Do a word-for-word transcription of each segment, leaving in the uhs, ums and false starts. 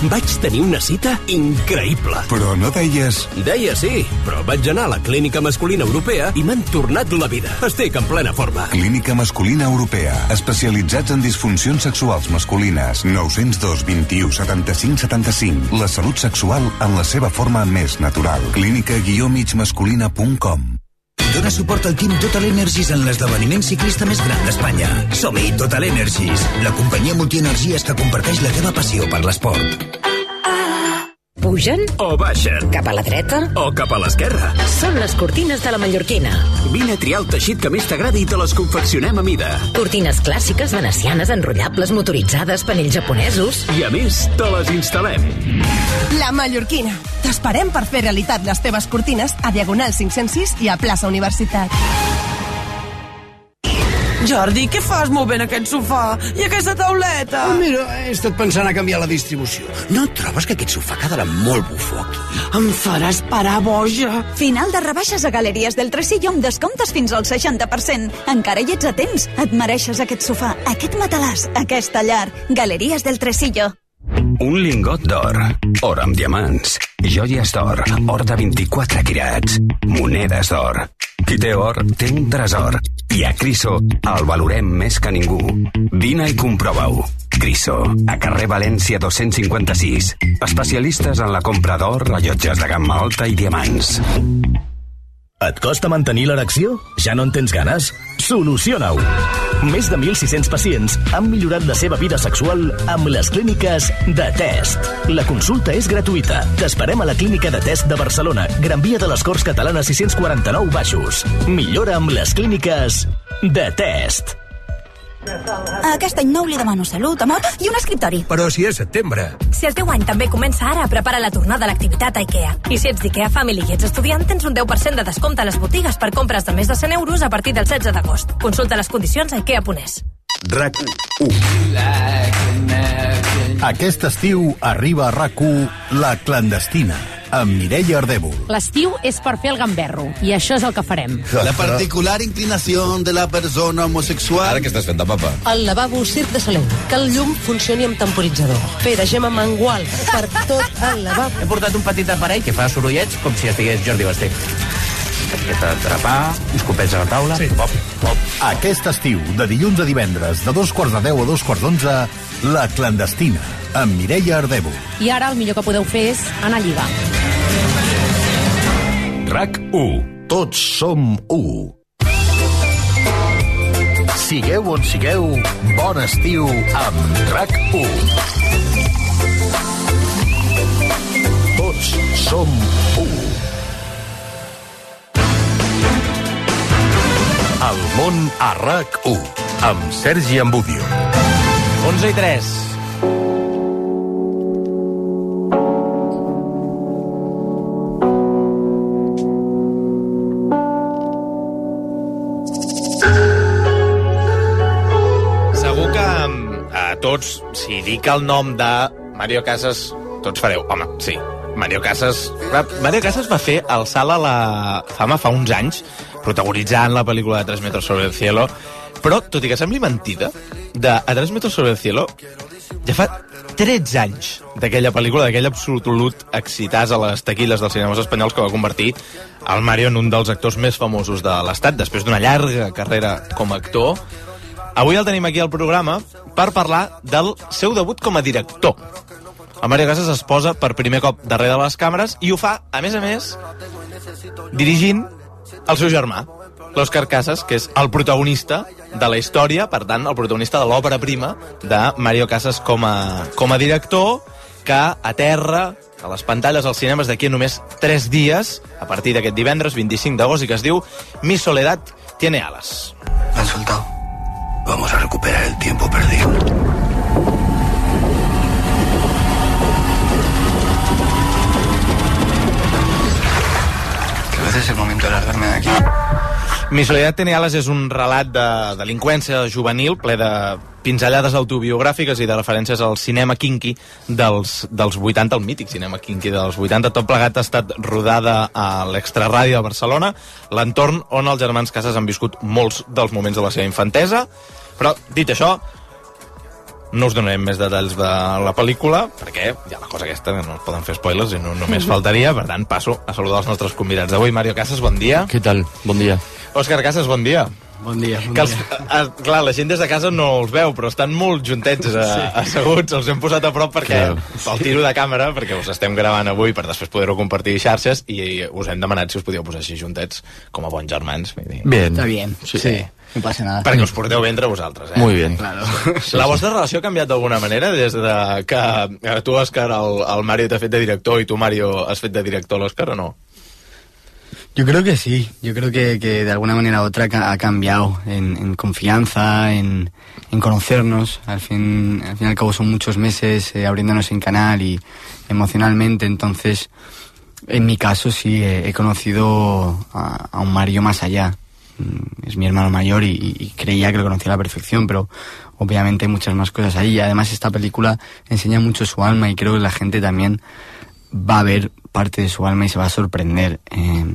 Vaig tenir una cita increïble. Però no deies... Deia sí, però vaig anar a la Clínica Masculina Europea i m'han tornat la vida. Estic en plena forma. Clínica Masculina Europea. Especialitzats en disfuncions sexuals masculines. nou zero dos, vint-i-u, setanta-cinc, setanta-cinc. La salut sexual en la seva forma més natural. clínica guió mig masculina punt com. Dóna suport al Team Total Energies en l'esdeveniment ciclista més gran d'Espanya. Som-hi, Total Energies, la companyia multienergies que comparteix la teva passió per l'esport. Pugen o baixen, cap a la dreta o cap a l'esquerra. Són les cortines de la Mallorquina. Vine a triar el teixit que més t'agradi i te les confeccionem a mida. Cortines clàssiques, venecianes, enrotllables, motoritzades, panells japonesos. I a més, te les instal·lem. La Mallorquina. T'esperem per fer realitat les teves cortines a Diagonal cinc-cents sis i a plaça Universitat. Jordi, què fas movent aquest sofà? I aquesta tauleta? Oh, mira, he estat pensant a canviar la distribució. No trobes que aquest sofà quedarà molt bufó aquí? Em faràs parar boja. Final de rebaixes a Galeries del Tresillo amb descomptes fins al seixanta per cent. Encara hi ets a temps. Et mereixes aquest sofà, aquest matalàs, aquesta llar. Galeries del Tresillo. Un lingot d'or, or amb diamants, joies d'or, or de vint-i-quatre quirats, monedes d'or. Qui té or, té un tresor. I a Criso el valorem més que ningú. Vine i comprova-ho. Criso, a carrer València dos-cents cinquanta-sis. Especialistes en la compra d'or, rellotges de gamma alta i diamants. Et costa mantenir l'erecció? Ja no en tens ganes? Soluciona-ho! Més de mil sis-cents pacients han millorat la seva vida sexual amb les clíniques de Test. La consulta és gratuïta. T'esperem a la clínica de Test de Barcelona, Gran Via de les Corts Catalanes sis-cents quaranta-nou Baixos. Millora amb les clíniques de Test. Aquest any nou li demano salut, amor i un escriptori. Però si és setembre. Si el teu any també comença ara, prepara la tornada a l'activitat a IKEA. I si ets d'IKEA Family i ets estudiant, tens un deu per cent de descompte a les botigues per compres de més de cent euros a partir del setze d'agost. Consulta les condicions a ikea punt es. RAC u. Aquest estiu arriba a RAC u La Clandestina, amb Mireia Ardèvol. L'estiu és per fer el gamberro, i això és el que farem. La particular inclinació de la persona homosexual... Ara què estàs fent de papa? El lavabo Circ de Soleil, que el llum funcioni amb temporitzador. Fer de gema mangual per tot el lavabo. He portat un petit aparell que fa sorollets com si estigués Jordi Basté. Etiqueta atrapar, escopets a la taula... Sí. Pop, pop. Aquest estiu, de dilluns a divendres, de dos quarts de deu a dos quarts d'onze, La Clandestina, amb Mireia Ardèvol. I ara el millor que podeu fer és anar a lligar. RAC u. Tots som u. Sigueu on sigueu, bon estiu amb RAC u. Tots som u. El món a RAC u, amb Sergi Ambudio. onze i tres. Segur que a tots, si dic el nom de Mario Casas, tots fareu, home, sí, Mario Casas... Mario Casas va fer el salt a la fama fa uns anys, protagonitzant la pel·lícula de tres metres sobre el cielo, però, tot i que sembli mentida, de A tres metres sobre el cielo, ja fa tretze anys d'aquella pel·lícula, d'aquell absolut excitàs a les taquilles dels cinemes espanyols que va convertir el Mario en un dels actors més famosos de l'Estat, després d'una llarga carrera com a actor. Avui el tenim aquí al programa per parlar del seu debut com a director. El Mario Casas es posa per primer cop darrere de les càmeres i ho fa, a més a més, dirigint el seu germà, l'Òscar Casas, que és el protagonista de la història, per tant, el protagonista de l'òpera prima de Mario Casas com a, com a director, que aterra a les pantalles als cinemes d'aquí a només tres dies, a partir d'aquest divendres vint-i-cinc d'agost, i que es diu Mi soledad tiene alas. Me han soltado. Vamos a recuperar el tiempo perdido. Creo que es el momento de largarme de aquí. Mi soledad tiene alas és un relat de delinqüència juvenil ple de pinzellades autobiogràfiques i de referències al cinema kinky dels, dels vuitanta, el mític cinema kinky dels vuitanta. Tot plegat ha estat rodada a l'Extraràdio de Barcelona, l'entorn on els germans Casas han viscut molts dels moments de la seva infantesa. Però, dit això, no us donarem més detalls de la pel·lícula, perquè hi ha la cosa aquesta, no es poden fer spoilers i no només faltaria, per tant passo a saludar els nostres convidats d'avui. Mario Casas, bon dia. Què tal? Bon dia. Òscar Casas, bon dia. Bon dia, bon que els, dia. A, clar, la gent des de casa no els veu, però estan molt juntets a, sí. asseguts, els hem posat a prop perquè claro. pel tiro de càmera, perquè us estem gravant avui per després poder-ho compartir a xarxes, i us hem demanat si us podíeu posar així juntets com a bons germans. Bien. Está bien, sí. sí. No passa nada. Perquè us porteu bé entre vosaltres, eh? Muy bien. Claro. La vostra relació ha canviat d'alguna manera des de que tu, Òscar, el, el Mario t'ha fet de director i tu, Mario, has fet de director a l'Òscar, o no? Yo creo que sí, yo creo que, que de alguna manera u otra ha cambiado en, en confianza, en, en conocernos. Al fin, al fin y al cabo son muchos meses eh, abriéndonos en canal y emocionalmente, entonces en mi caso sí he, he conocido a, a un Mario más allá. Es mi hermano mayor y, y creía que lo conocía a la perfección, pero obviamente hay muchas más cosas ahí. Y además esta película enseña mucho su alma y creo que la gente también va a ver parte de su alma y se va a sorprender eh,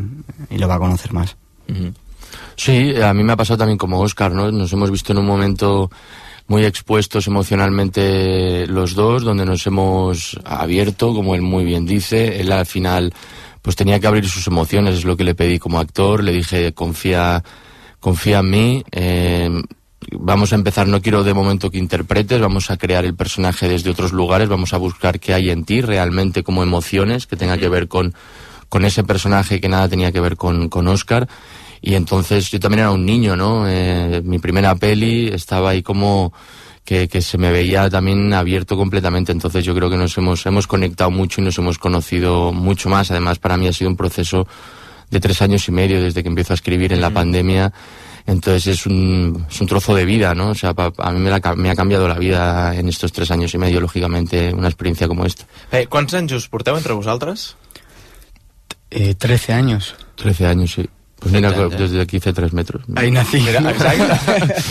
y lo va a conocer más. Uh-huh. Sí, a mí me ha pasado también como Óscar, ¿no? Nos hemos visto en un momento muy expuestos emocionalmente los dos, donde nos hemos abierto, como él muy bien dice. Él al final pues tenía que abrir sus emociones, es lo que le pedí como actor. Le dije, confía, confía en mí, eh, vamos a empezar, no quiero de momento que interpretes, vamos a crear el personaje desde otros lugares, vamos a buscar qué hay en ti realmente como emociones, que tenga que ver con, con ese personaje que nada tenía que ver con, con Óscar. Y entonces yo también era un niño, ¿no? Eh, mi primera peli estaba ahí como que, que se me veía también abierto completamente, entonces yo creo que nos hemos, hemos conectado mucho y nos hemos conocido mucho más. Además, para mí ha sido un proceso de tres años y medio desde que empiezo a escribir en la pandemia. Entonces es un, es un trozo de vida, ¿no? O sea, pa, a mí me, la, me ha cambiado la vida en estos tres años y medio, lógicamente, una experiencia como esta. Eh, ¿Cuántos anys us porteu entre vosaltres? Eh, trece años. Trece años, sí. Pues mira, desde aquí hice tres metros. Ahí nací. Mira, exacte.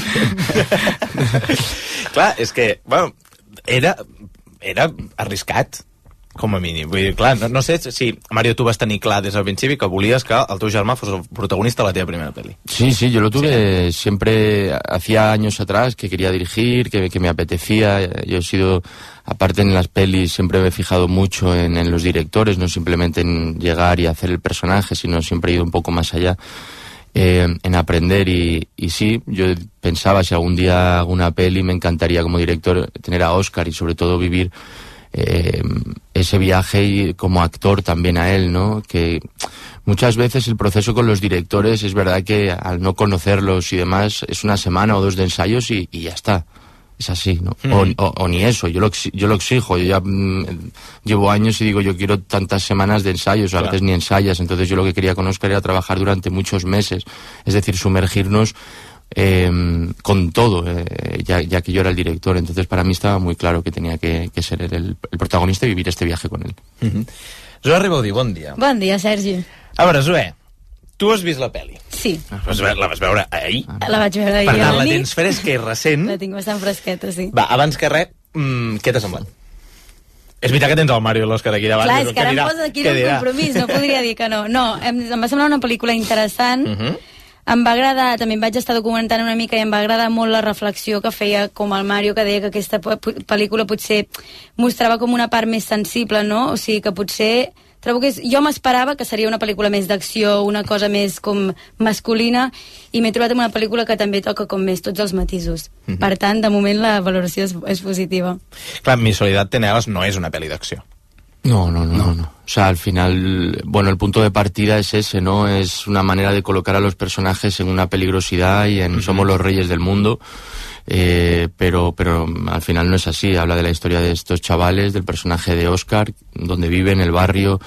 Clar, és que, bueno, era, era arriscat, com a mínim. Vull dir, clar, no, no sé si, Mario, tu vas tenir clar des del principi que volies que el teu germà fos el protagonista de la teva primera peli. Sí, sí, yo lo tuve sí. siempre, hacía años atrás que quería dirigir, que, que me apetecía. Yo he sido, aparte en las pelis, siempre me he fijado mucho en, en los directores, no simplemente en llegar y hacer el personaje, sino siempre he ido un poco más allá. Eh, en aprender y, y sí, yo pensaba si algún día hago una peli me encantaría como director tener a Óscar y sobre todo vivir eh, ese viaje y como actor también a él, ¿no? Que muchas veces el proceso con los directores es verdad que al no conocerlos y demás es una semana o dos de ensayos y, y ya está. Es así, ¿no? Mm. O, o, o ni eso, yo lo, yo lo exijo, yo ya mmm, llevo años y digo, yo quiero tantas semanas de ensayos, claro. A veces ni ensayas, entonces yo lo que quería con Óscar era trabajar durante muchos meses, es decir, sumergirnos eh, con todo, eh, ya, ya que yo era el director, entonces para mí estaba muy claro que tenía que, que ser el, el protagonista y vivir este viaje con él. Mm-hmm. Zoè Ribaudí, bon dia. Bon dia, Sergi. A veure, Zoè, tu has vist la pel·li? Sí. Vas veure, la vas veure ahir? La vaig veure ahir. Per tant, la tens fresca i recent. La tinc bastant fresqueta, sí. Va, abans que res, mmm, què t'ha semblat? És veritat que tens el Mario i l'Òscar aquí davant. Clar, és que ara em posa aquí un compromís, no podria dir que no. No, em, em va semblar una pel·lícula interessant. Uh -huh. Em va agradar, també em vaig estar documentant una mica i em va agradar molt la reflexió que feia com el Mario, que deia que aquesta pel·lícula potser mostrava com una part més sensible, no? O sigui, que potser... Trobo que és, jo m'esperava que seria una pel·lícula més d'acció, una cosa més com masculina, i m'he trobat amb una pel·lícula que també toca com més tots els matisos. Mm-hmm. Per tant, de moment la valoració és, és positiva. Clar, Mi Soledad tiene alas no es una peli de acción. No, no, no, no, no. O sea, al final, bueno, el punto de partida es ese, ¿no? Es una manera de colocar a los personajes en una peligrosidad y en uh-huh. somos los reyes del mundo, eh, pero, pero al final no es así. Habla de la historia de estos chavales, del personaje de Óscar, donde vive en el barrio,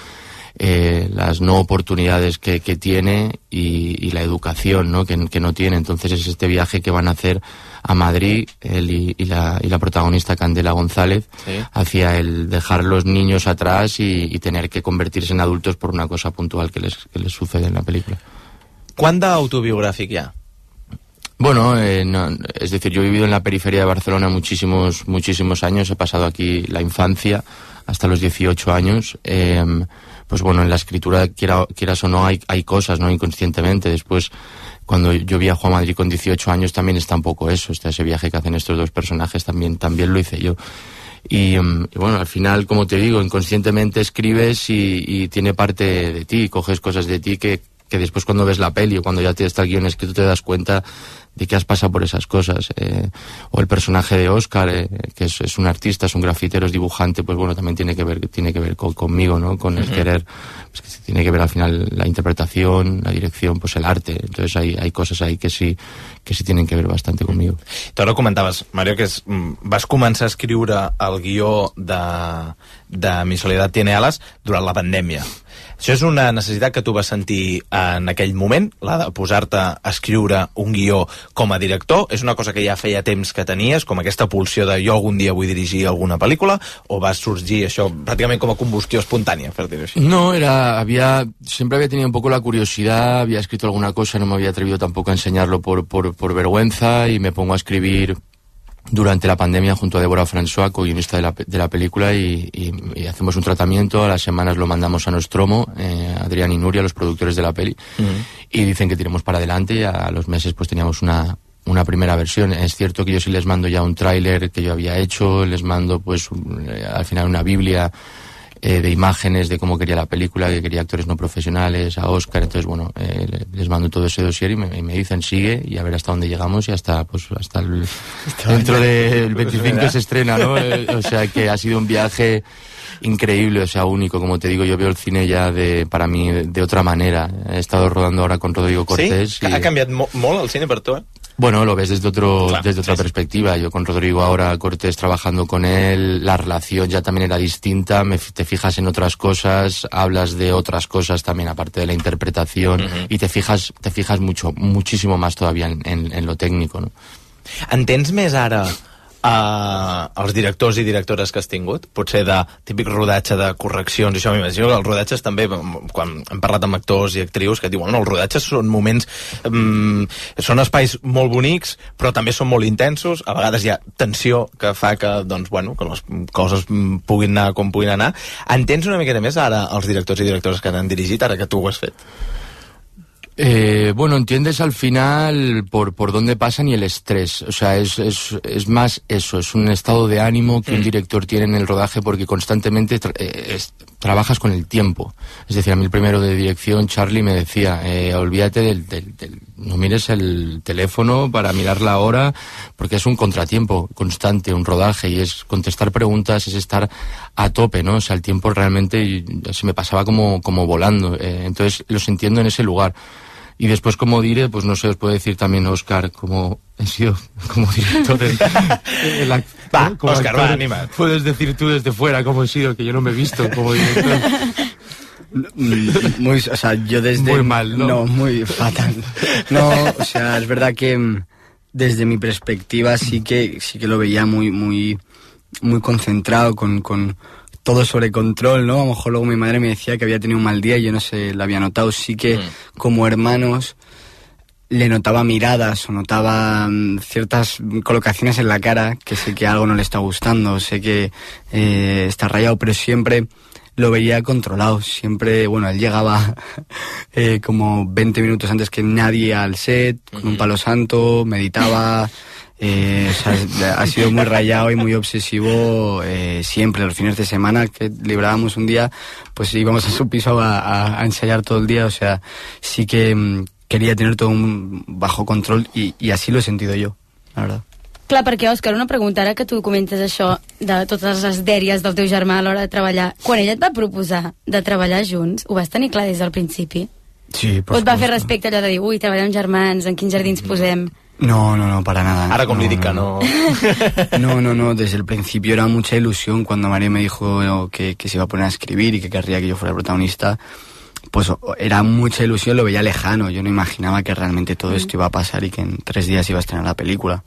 eh, las no oportunidades que, que tiene y, y la educación, ¿no? Que, que no tiene. Entonces es este viaje que van a hacer a Madrid, él y, y, la, y la protagonista Candela González, sí. hacia el dejar los niños atrás y, y tener que convertirse en adultos por una cosa puntual que les, que les sucede en la película. ¿Cuán de autobiográfico ya? Bueno, eh, no, es decir, yo he vivido en la periferia de Barcelona muchísimos, muchísimos años, he pasado aquí la infancia hasta los dieciocho años, eh, pues bueno, en la escritura, quiera, quieras o no, hay, hay cosas, ¿no? Inconscientemente. Después, cuando yo viajo a Madrid con dieciocho años, también está un poco eso, está ese viaje que hacen estos dos personajes, también, también lo hice yo. Y, y bueno, al final, como te digo, inconscientemente escribes y, y tiene parte de ti, coges cosas de ti que, que después cuando ves la peli o cuando ya te está el guión escrito te das cuenta de que has pasado por esas cosas. Eh, o el personaje de Óscar, eh, que es, es un artista, es un grafitero, es dibujante, pues bueno, también tiene que ver, tiene que ver con, conmigo, ¿no? Con el uh-huh. querer, pues que tiene que ver al final la interpretación, la dirección, pues el arte. Entonces hay, hay cosas ahí que sí, que sí tienen que ver bastante conmigo. Tu ara comentaves, Mario, que és, vas començar a escriure el guió de, de Mi soledad tiene alas durant la pandèmia. Això és una necessitat que tu vas sentir en aquell moment, la de posar-te a escriure un guió com a director? És una cosa que ja feia temps que tenies, com aquesta pulsió de jo algun dia vull dirigir alguna pel·lícula, o va sorgir això pràcticament com a combustió espontània, per dir-ho així? No, era, había, siempre había tenido un poco la curiosidad, había escrito alguna cosa, no me había atrevido tampoco a enseñarlo por, por, por vergüenza, y me pongo a escribir durante la pandemia junto a Débora François, co-guionista de la, de la película, y, y, y hacemos un tratamiento. A las semanas lo mandamos a Nostromo, eh, Adrián y Nuria, los productores de la peli, uh-huh. y dicen que tiremos para adelante, y a los meses pues teníamos una, una primera versión. Es cierto que yo sí les mando ya un tráiler que yo había hecho, les mando pues un, al final una biblia eh, de imágenes de cómo quería la película, que quería actores no profesionales, a Óscar. Entonces bueno, eh, les mando todo ese dossier y me, y me dicen sigue, y a ver hasta dónde llegamos, y hasta pues hasta el, dentro del veinticinco se estrena, ¿no? Eh, o sea que ha sido un viaje increíble, o sea, único. Como te digo, yo veo el cine ya de, para mí de, de otra manera. He estado rodando ahora con Rodrigo Cortés. ¿Sí? Y... ¿Ha cambiado mo molt el cine per tu, eh? Bueno, lo ves desde otro, claro, desde otra sí, perspectiva. Yo con Rodrigo ahora, Cortés, trabajando con él, la relación ya también era distinta, me, te fijas en otras cosas, hablas de otras cosas también aparte de la interpretación, uh-huh. y te fijas, te fijas mucho, muchísimo más todavía en, en, en lo técnico, ¿no? Entens més ara Uh, els directors i directores que has tingut, potser de típic rodatge de correccions, això m'imagino que els rodatges també, quan hem parlat amb actors i actrius que diuen, no, els rodatges són moments um, són espais molt bonics però també són molt intensos, a vegades hi ha tensió que fa que, doncs, bueno, que les coses puguin anar com puguin anar. Entens una miqueta més ara els directors i directores que t'han dirigit, ara que tu ho has fet? Eh, bueno, entiendes al final por, por dónde pasan y el estrés. O sea, es, es, es más eso, es un estado de ánimo que un director tiene en el rodaje porque constantemente tra eh, es, trabajas con el tiempo. Es decir, a mí el primero de dirección, Charlie, me decía, eh, olvídate del, del, del... no mires el teléfono para mirar la hora, porque es un contratiempo constante, un rodaje, y es contestar preguntas, es estar a tope, ¿no? O sea, el tiempo realmente se me pasaba como, como volando. Eh, entonces, los entiendo en ese lugar. Y después, como diré, pues no sé, os puedo decir también, Óscar, como he sido como director en, en la, va, como Óscar, actor, va, anima. Puedes decir tú desde fuera cómo he sido, que yo no me he visto como director. Muy, o sea, yo desde... Muy mal, ¿no? No, muy fatal. No, o sea, es verdad que desde mi perspectiva sí que sí que lo veía muy, muy, muy concentrado, con... con todo sobre control, ¿no? A lo mejor luego mi madre me decía que había tenido un mal día y yo no sé, lo había notado. Sí que mm. como hermanos le notaba miradas o notaba um, ciertas colocaciones en la cara que sé que algo no le está gustando, sé que eh, está rayado, pero siempre lo veía controlado. Siempre, bueno, él llegaba eh, como veinte minutos antes que nadie al set, con un palo santo, meditaba... Eh, o sea, ha sido muy rayado y muy obsesivo eh, siempre. Los fines de semana que librábamos un día, pues íbamos a su piso a, a, a ensayar todo el día. O sea, sí que um, quería tener todo un bajo control y, y así lo he sentido yo, la verdad. Clar, perquè, Òscar, una pregunta, ara que tu comentes això de totes les dèries del teu germà a l'hora de treballar, quan ell et va proposar de treballar junts, ho vas tenir clar des del principi? Sí, por o et va fer respecte allò de dir, ui, treballem germans, en quins jardins posem... No, no, no, para nada. Ahora con no, lírica, no. No, no, no, desde el principio era mucha ilusión cuando Mario me dijo que, que se iba a poner a escribir y que querría que yo fuera el protagonista. Pues era mucha ilusión, lo veía lejano. Yo no imaginaba que realmente todo esto iba a pasar y que en tres días iba a estrenar la película.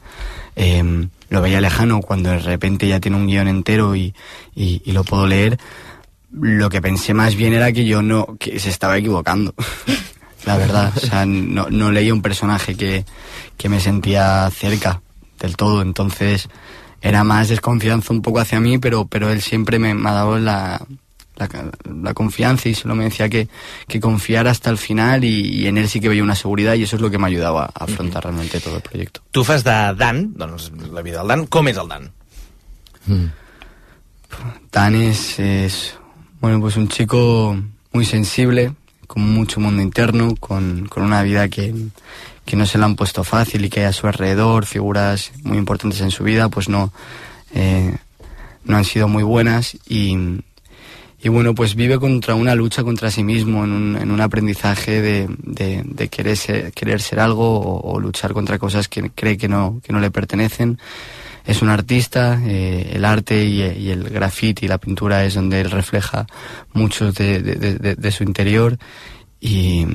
Eh, lo veía lejano cuando de repente ya tiene un guión entero y, y, y lo puedo leer. Lo que pensé más bien era que yo no, que se estaba equivocando. La verdad, o sea, no, no leía un personaje que, que me sentía cerca del todo, entonces era más desconfianza un poco hacia mí, pero, pero él siempre me, me ha dado la, la, la confianza, y solo me decía que, que confiara hasta el final, y, y en él sí que veía una seguridad, y eso es lo que me ayudaba a afrontar uh-huh. realmente todo el proyecto. Tu fas de Dan, doncs la vida del Dan, com és el Dan? Mm. Dan es, es, bueno, pues un chico muy sensible, con mucho mundo interno, con, con una vida que, que no se le han puesto fácil, y que hay a su alrededor figuras muy importantes en su vida, pues no, eh, no han sido muy buenas, y, y bueno, pues vive contra una lucha contra sí mismo, en un, en un aprendizaje de, de, de querer, ser, querer ser algo, o, o luchar contra cosas que cree que no, que no le pertenecen. Es un artista, eh, el arte y, y el graffiti y la pintura es donde él refleja mucho de, de, de, de su interior, y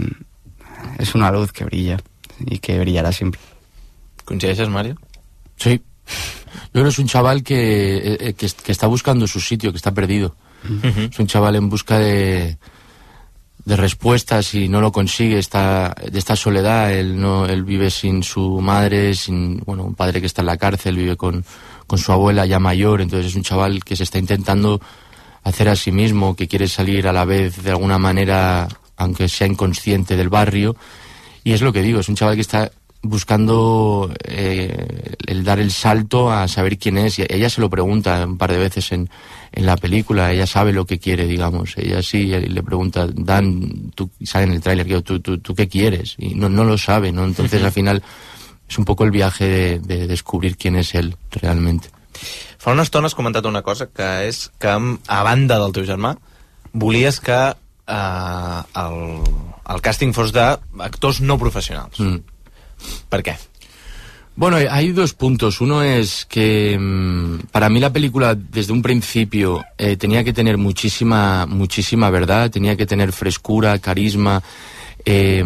es una luz que brilla y que brillará siempre. ¿Coincideixes, Mario? Sí. Yo creo que es un chaval que, eh, que, que está buscando su sitio, que está perdido. Uh-huh. Es un chaval en busca de, de respuestas, y no lo consigue, está de esta soledad. Él no él vive sin su madre, sin bueno un padre que está en la cárcel, vive con, con su abuela ya mayor. Entonces es un chaval que se está intentando hacer a sí mismo, que quiere salir a la vez de alguna manera, aunque sea inconsciente, del barrio. Y es lo que digo, es un chaval que está buscando eh, el dar el salto a saber quién es, y ella se lo pregunta un par de veces en, en la película. Ella sabe lo que quiere, digamos. Ella sí le pregunta, Dan, tú, sale en el tráiler, ¿tú, tú, tú qué quieres? Y no, no lo sabe, ¿no? Entonces al final es un poco el viaje de, de descubrir quién es él realmente. Fa una estona has comentat una cosa, que és que a banda del teu germà volies que eh, el, el càsting fos d'actors no professionals. Mm. ¿Por qué? Bueno, hay dos puntos. Uno es que mmm, para mí la película desde un principio eh, tenía que tener muchísima, muchísima verdad, tenía que tener frescura, carisma, eh,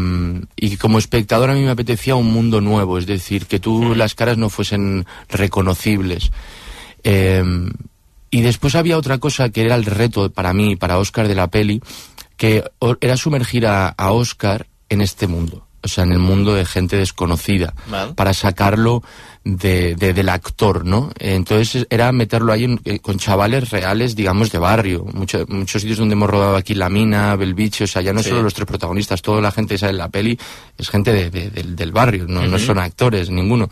y como espectador a mí me apetecía un mundo nuevo, es decir, que tú las caras no fuesen reconocibles. Eh, y después había otra cosa que era el reto para mí, para Óscar de la peli, que era sumergir a, a Óscar en este mundo. O sea, en el mundo de gente desconocida, vale, para sacarlo de, de, del actor, ¿no? Entonces era meterlo ahí en, con chavales reales, digamos, de barrio. Mucho, muchos sitios donde hemos rodado aquí, La Mina, Belviche, o sea, ya no sí. solo los tres protagonistas, toda la gente que sale en la peli es gente de, de, de, del barrio, no, uh-huh. no son actores, ninguno.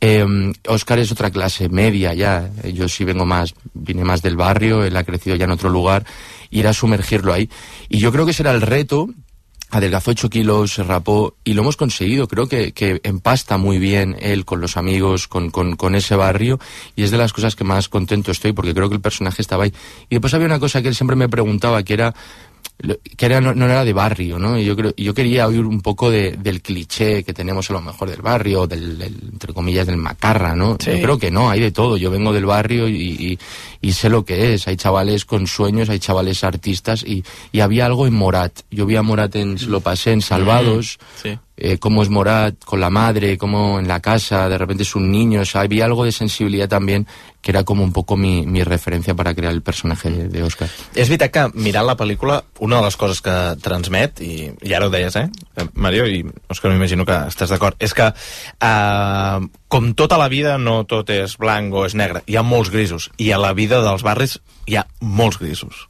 Eh, Óscar es otra clase media ya, yo sí vengo más, vine más del barrio, él ha crecido ya en otro lugar, y era sumergirlo ahí. Y yo creo que ese era el reto. Adelgazó ocho kilos, se rapó, y lo hemos conseguido. Creo que, que empasta muy bien él con los amigos, con, con, con ese barrio, y es de las cosas que más contento estoy, porque creo que el personaje estaba ahí. Y después había una cosa que él siempre me preguntaba, que era que era, no, no era de barrio, ¿no? Y yo creo, yo quería oír un poco de, del cliché que tenemos a lo mejor del barrio, del, del entre comillas, del macarra, ¿no? Sí. Yo creo que no, hay de todo. Yo vengo del barrio y, y, y sé lo que es. Hay chavales con sueños, hay chavales artistas, y, y había algo en Morat. Yo vi a Morat en, se lo pasé en Salvados, sí. eh, cómo es Morat con la madre, cómo en la casa de repente es un niño. O sea, había algo de sensibilidad también, que era como un poco mi, mi referència per a crear el personatge de, de Óscar. És veritat que mirant la pel·lícula, una de les coses que transmet, i, i ara ho deies, eh, Mario, i Òscar, m'imagino que estàs d'acord, és que eh, com tota la vida no tot és blanc o és negre, hi ha molts grisos, i a la vida dels barris hi ha molts grisos.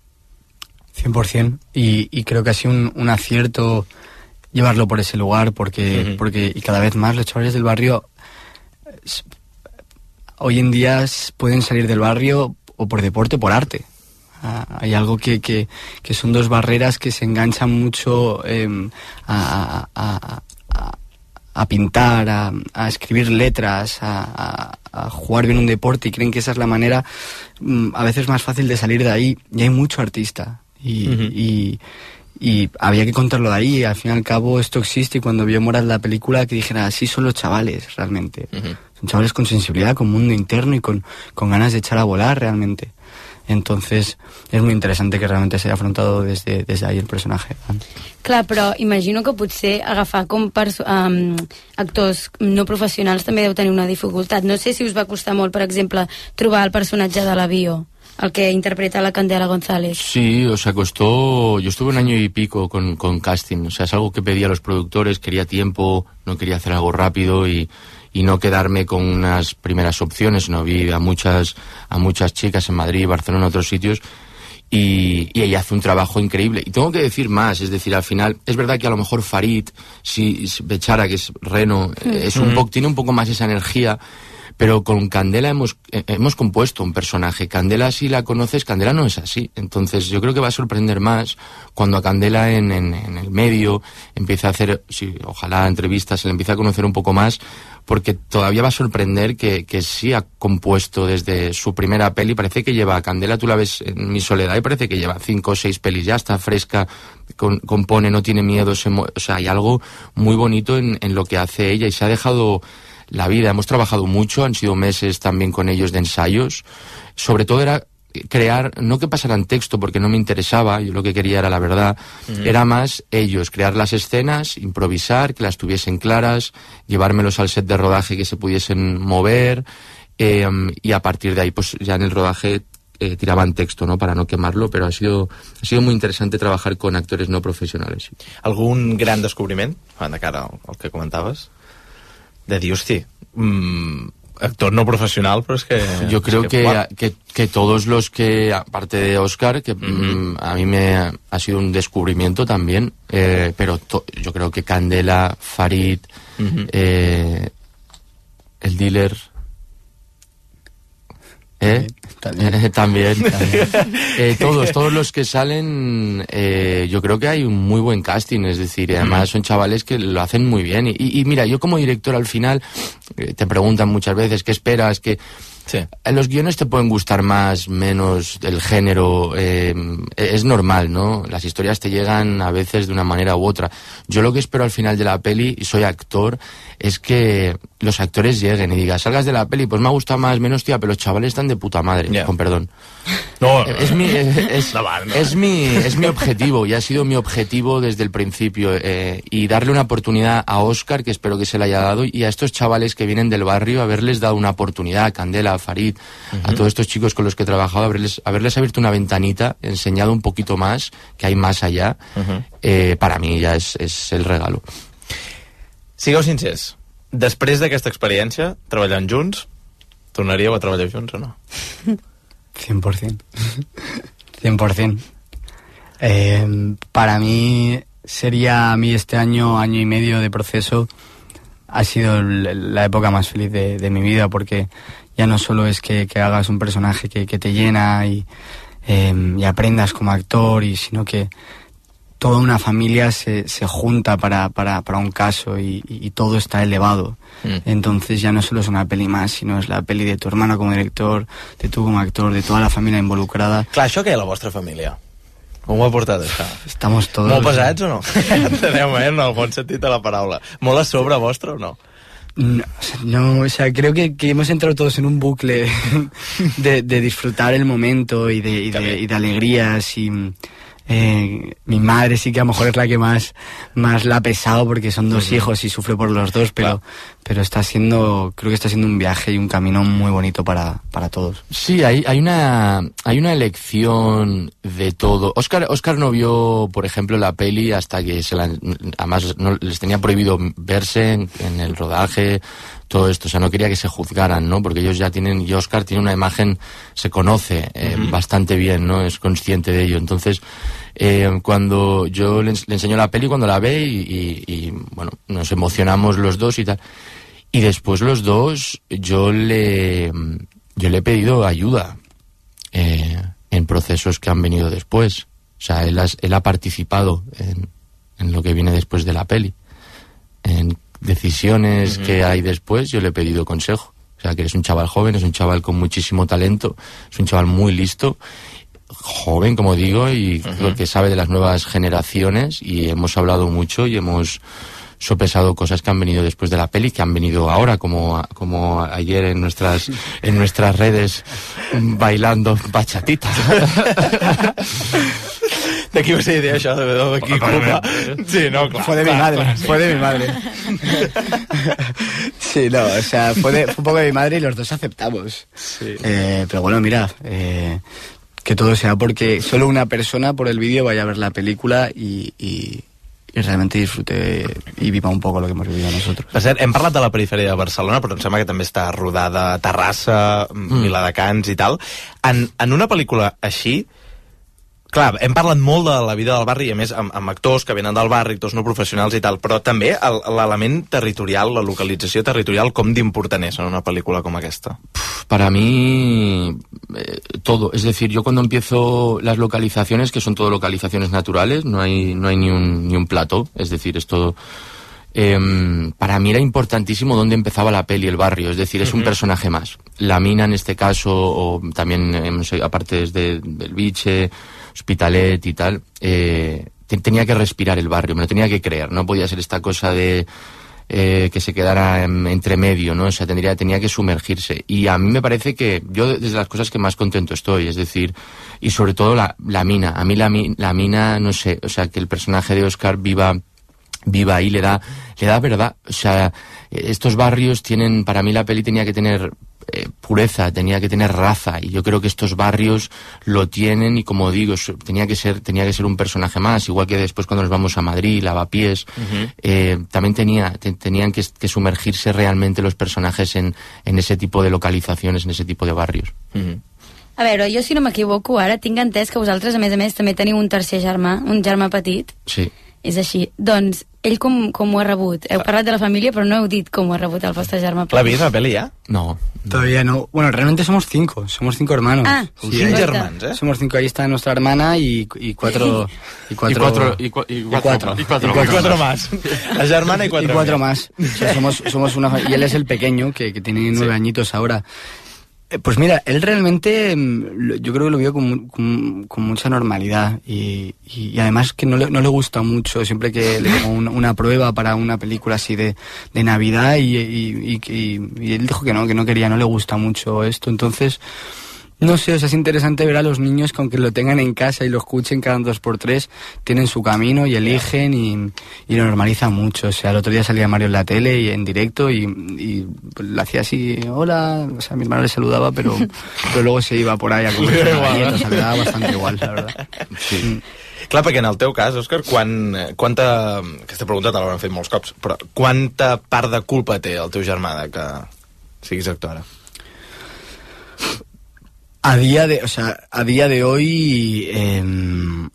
cien por ciento, y, y creo que ha sido un, un acierto llevarlo por ese lugar, porque, uh-huh. porque y cada vez más los chavales del barrio hoy en día pueden salir del barrio o por deporte o por arte. Ah, hay algo que, que, que son dos barreras que se enganchan mucho eh, a, a, a, a pintar, a, a escribir letras, a, a, a jugar bien un deporte, y creen que esa es la manera mm, a veces más fácil de salir de ahí. Y hay mucho artista. Y, uh-huh. y, y había que contarlo de ahí. Al fin y al cabo esto existe, y cuando vio Morat la película, que dijera, así son los chavales realmente. Uh-huh. Son chavales con sensibilidad, con mundo interno y con, con ganas de echar a volar realmente. Entonces és molt interessant que realment s'hagi afrontat des, de, des d'ahí el personatge. Clar, però imagino que potser agafar com perso- um, actors no professionals també deu tenir una dificultat. No sé si us va costar molt, per exemple, trobar el personatge de la Bio, el que interpreta la Candela González. Sí, o sea, costó... Yo estuve un año y pico con, con casting. O sea, es algo que pedía a los productores, quería tiempo, no quería hacer algo rápido y... y no quedarme con unas primeras opciones, no vi a muchas a muchas chicas en Madrid, Barcelona, otros sitios, Y, y ella hace un trabajo increíble. Y tengo que decir más, es decir, al final, es verdad que a lo mejor Farid, si, si Bechara, que es Reno, mm. es un poco, tiene un poco más esa energía, pero con Candela hemos, eh, hemos compuesto un personaje. Candela, si la conoces, Candela no es así. Entonces yo creo que va a sorprender más cuando a Candela en, en, en el medio empiece a hacer, sí, ojalá entrevistas, se le empiece a conocer un poco más, porque todavía va a sorprender que, que sí ha compuesto desde su primera peli. Parece que lleva, Candela tú la ves en Mi Soledad y parece que lleva cinco o seis pelis, ya está fresca, con, compone, no tiene miedo, se o sea, hay algo muy bonito en, en lo que hace ella y se ha dejado la vida. Hemos trabajado mucho, han sido meses también con ellos de ensayos. Sobre todo era crear, no que pasaran texto porque no me interesaba, yo lo que quería era la verdad, mm. era más ellos, crear las escenas, improvisar, que las tuviesen claras, llevármelos al set de rodaje que se pudiesen mover, eh, y a partir de ahí pues ya en el rodaje eh, tiraban texto, ¿no?, para no quemarlo, pero ha sido, ha sido muy interesante trabajar con actores no profesionales. Sí. Algun gran descobriment, de cara al que comentaves, de dir, hosti, mmm, actor no profesional, pero es que... Yo creo es que, que, que, que todos los que, aparte de Oscar, que uh-huh. a mí me ha, ha sido un descubrimiento también, eh, pero to, yo creo que Candela, Farid, uh-huh. eh, el dealer... ¿Eh? También, eh, también, también. Eh, todos, todos los que salen, eh, yo creo que hay un muy buen casting, es decir, además son chavales que lo hacen muy bien. Y, y mira, yo como director al final, eh, te preguntan muchas veces qué esperas, que sí. Los guiones te pueden gustar más, menos, el género, eh, es normal, ¿no? Las historias te llegan a veces de una manera u otra. Yo lo que espero al final de la peli, y soy actor, es que los actores lleguen y digan, salgas de la peli, pues me ha gustado más, menos, tía, pero los chavales están de puta madre, yeah. con perdón. No, es mi es, es, no, no, es mi es mi objetivo y ha sido mi objetivo desde el principio, eh, y darle una oportunidad a Óscar, que espero que se le haya dado, y a estos chavales que vienen del barrio, haberles dado una oportunidad, a Candela, a Farid, uh-huh. a todos estos chicos con los que he trabajado, haberles, haberles abierto una ventanita, enseñado un poquito más, que hay más allá, uh-huh. eh, para mi ja és, és el regalo. Sigueu sincers, després d'aquesta experiència, treballant junts, tornaríeu a treballar junts o no? cien por ciento. cien por ciento. Eh, para mí sería, a mí este año, año y medio de proceso, ha sido la época más feliz de, de mi vida, porque ya no solo es que, que hagas un personaje que, que te llena y, eh, y aprendas como actor, y sino que toda una familia se, se junta para, para, para un caso y, y todo está elevado. Mm. Entonces ya no solo es una peli más, sino es la peli de tu hermano como director, de tu como actor, de toda la familia involucrada. Clar, això què és la vostra família? Com ho ha portat, això? Estamos todos... Molt pesats o no? Enteneu, eh? En el bon sentit de la paraula. Molt a sobre vostre o no? No, no, o sea, creo que, que hemos entrado todos en un bucle de, de disfrutar el momento y de, y de, y de alegrías y... Eh, mi madre sí que a lo mejor es la que más, más la ha pesado, porque son dos uh-huh. hijos y sufre por los dos, pero, claro. pero está siendo, creo que está siendo un viaje y un camino muy bonito para, para todos. Sí, hay, hay una hay una elección de todo. Oscar, Oscar no vio, por ejemplo, la peli hasta que se la, además no, les tenía prohibido verse en, en el rodaje, todo esto, o sea, no quería que se juzgaran, ¿no? Porque ellos ya tienen, y Oscar tiene una imagen, se conoce eh, uh-huh. bastante bien, ¿no? Es consciente de ello. Entonces, eh, cuando yo le, le enseño la peli, cuando la ve, y, y, y, bueno, nos emocionamos los dos y tal. Y después los dos, yo le, yo le he pedido ayuda eh, en procesos que han venido después. O sea, él, has, él ha participado en, en lo que viene después de la peli. En decisiones uh-huh. que hay después, yo le he pedido consejo. O sea, que eres un chaval joven, es un chaval con muchísimo talento, es un chaval muy listo, joven, como digo, y uh-huh. que sabe de las nuevas generaciones, y hemos hablado mucho y hemos sopesado cosas que han venido después de la peli, que han venido ahora, como, como ayer en nuestras, en nuestras redes, bailando bachatita. ¿De qué esa idea ya? ¿De qué culpa? Sí, no, claro. Fue de mi madre, claro. fue de mi madre. Sí, no, o sea, fue, de, fue un poco de mi madre y los dos aceptamos. Sí. Eh, pero bueno, mira, eh, que todo sea porque solo una persona por el vídeo vaya a ver la película y, y, i realment disfrute i viva un poc el que hemos vivido nosotros. Per cert, hem parlat de la perifèria de Barcelona, però em sembla que també està rodada a Terrassa, mm. Viladecans i tal. En, en una pel·lícula així, Clar, hem parlat molt de la vida del barri, i a més amb, amb actors que venen del barri, actors no professionals i tal, però també l'element territorial, la localització territorial, com d'important és en una pel·lícula com aquesta? Para mí, eh, todo. Es decir, yo cuando empiezo las localizaciones, que son todo localizaciones naturales, no hay, no hay ni un, ni un plató, es decir, es todo... Eh, para mí era importantísimo dónde empezaba la peli, el barrio, es decir, es uh-huh. un personaje más. La mina en este caso, o también, eh, no sé, aparte desde del Biche, Hospitalet y tal, eh, te, tenía que respirar el barrio, me lo tenía que creer, no podía ser esta cosa de eh, que se quedara en, entre medio, ¿no? O sea, tendría, tenía que sumergirse. Y a mí me parece que yo, desde las cosas que más contento estoy, es decir, y sobre todo la, la mina, a mí la, la mina, no sé, o sea, que el personaje de Oscar viva... viva ahí, le da, le da verdad. O sea, estos barrios tienen, para mí la peli tenía que tener eh, pureza, tenía que tener raza, y yo creo que estos barrios lo tienen, y como digo, tenía que ser, tenía que ser un personaje más, igual que después cuando nos vamos a Madrid, Lavapiés, uh-huh. eh, también tenía, te, tenían que, que sumergirse realmente los personajes en, en ese tipo de localizaciones, en ese tipo de barrios. Uh-huh. A veure, jo si no m'equivoco, ara tinc entès que vosaltres, a més a més, també teniu un tercer germà, un germà petit. Sí. És així. Doncs, ell com, com ho ha rebut? Heu parlat de la família, però no heu dit com ho ha rebut el vostre germà petit. ¿La vist, la peli, ya? No. Todavía no. Bueno, realmente somos cinco. Somos cinco hermanos. Ah, sí, cinco hermanos, ¿eh? Somos cinco. Ahí está nuestra hermana y, y cuatro... Y cuatro... Y cuatro, y, cu- y cuatro, y cuatro, y cuatro, y cuatro, y cuatro más. La germana y cuatro, y cuatro más. más. O sea, somos, somos una... Y él es el pequeño, que, que tiene nueve sí. añitos ahora. Pues mira, él realmente yo creo que lo vio con, con, con mucha normalidad y, y, y además que no le, no le gusta mucho, siempre que le pongo una, una prueba para una película así de, de Navidad y, y, y, y, y él dijo que no, que no quería, no le gusta mucho esto, entonces... No sé, o sea, es interesante ver a los niños que aunque lo tengan en casa y lo escuchen cada dos por tres, tienen su camino y eligen y, y lo normalizan mucho. O sea, el otro día salía Mario en la tele y en directo y, y pues, le hacía así, hola, o sea, mi hermano le saludaba, pero, pero luego se iba por ahí a comer una galleta, o sea, le daba bastante igual, la verdad. Sí. Mm. Clar, perquè en el teu cas, Òscar, quan, quanta... Aquesta pregunta te l'hauran fet molts cops, però quanta part de culpa té el teu germà de que siguis actora? A día de, o sea, a día de hoy eh, no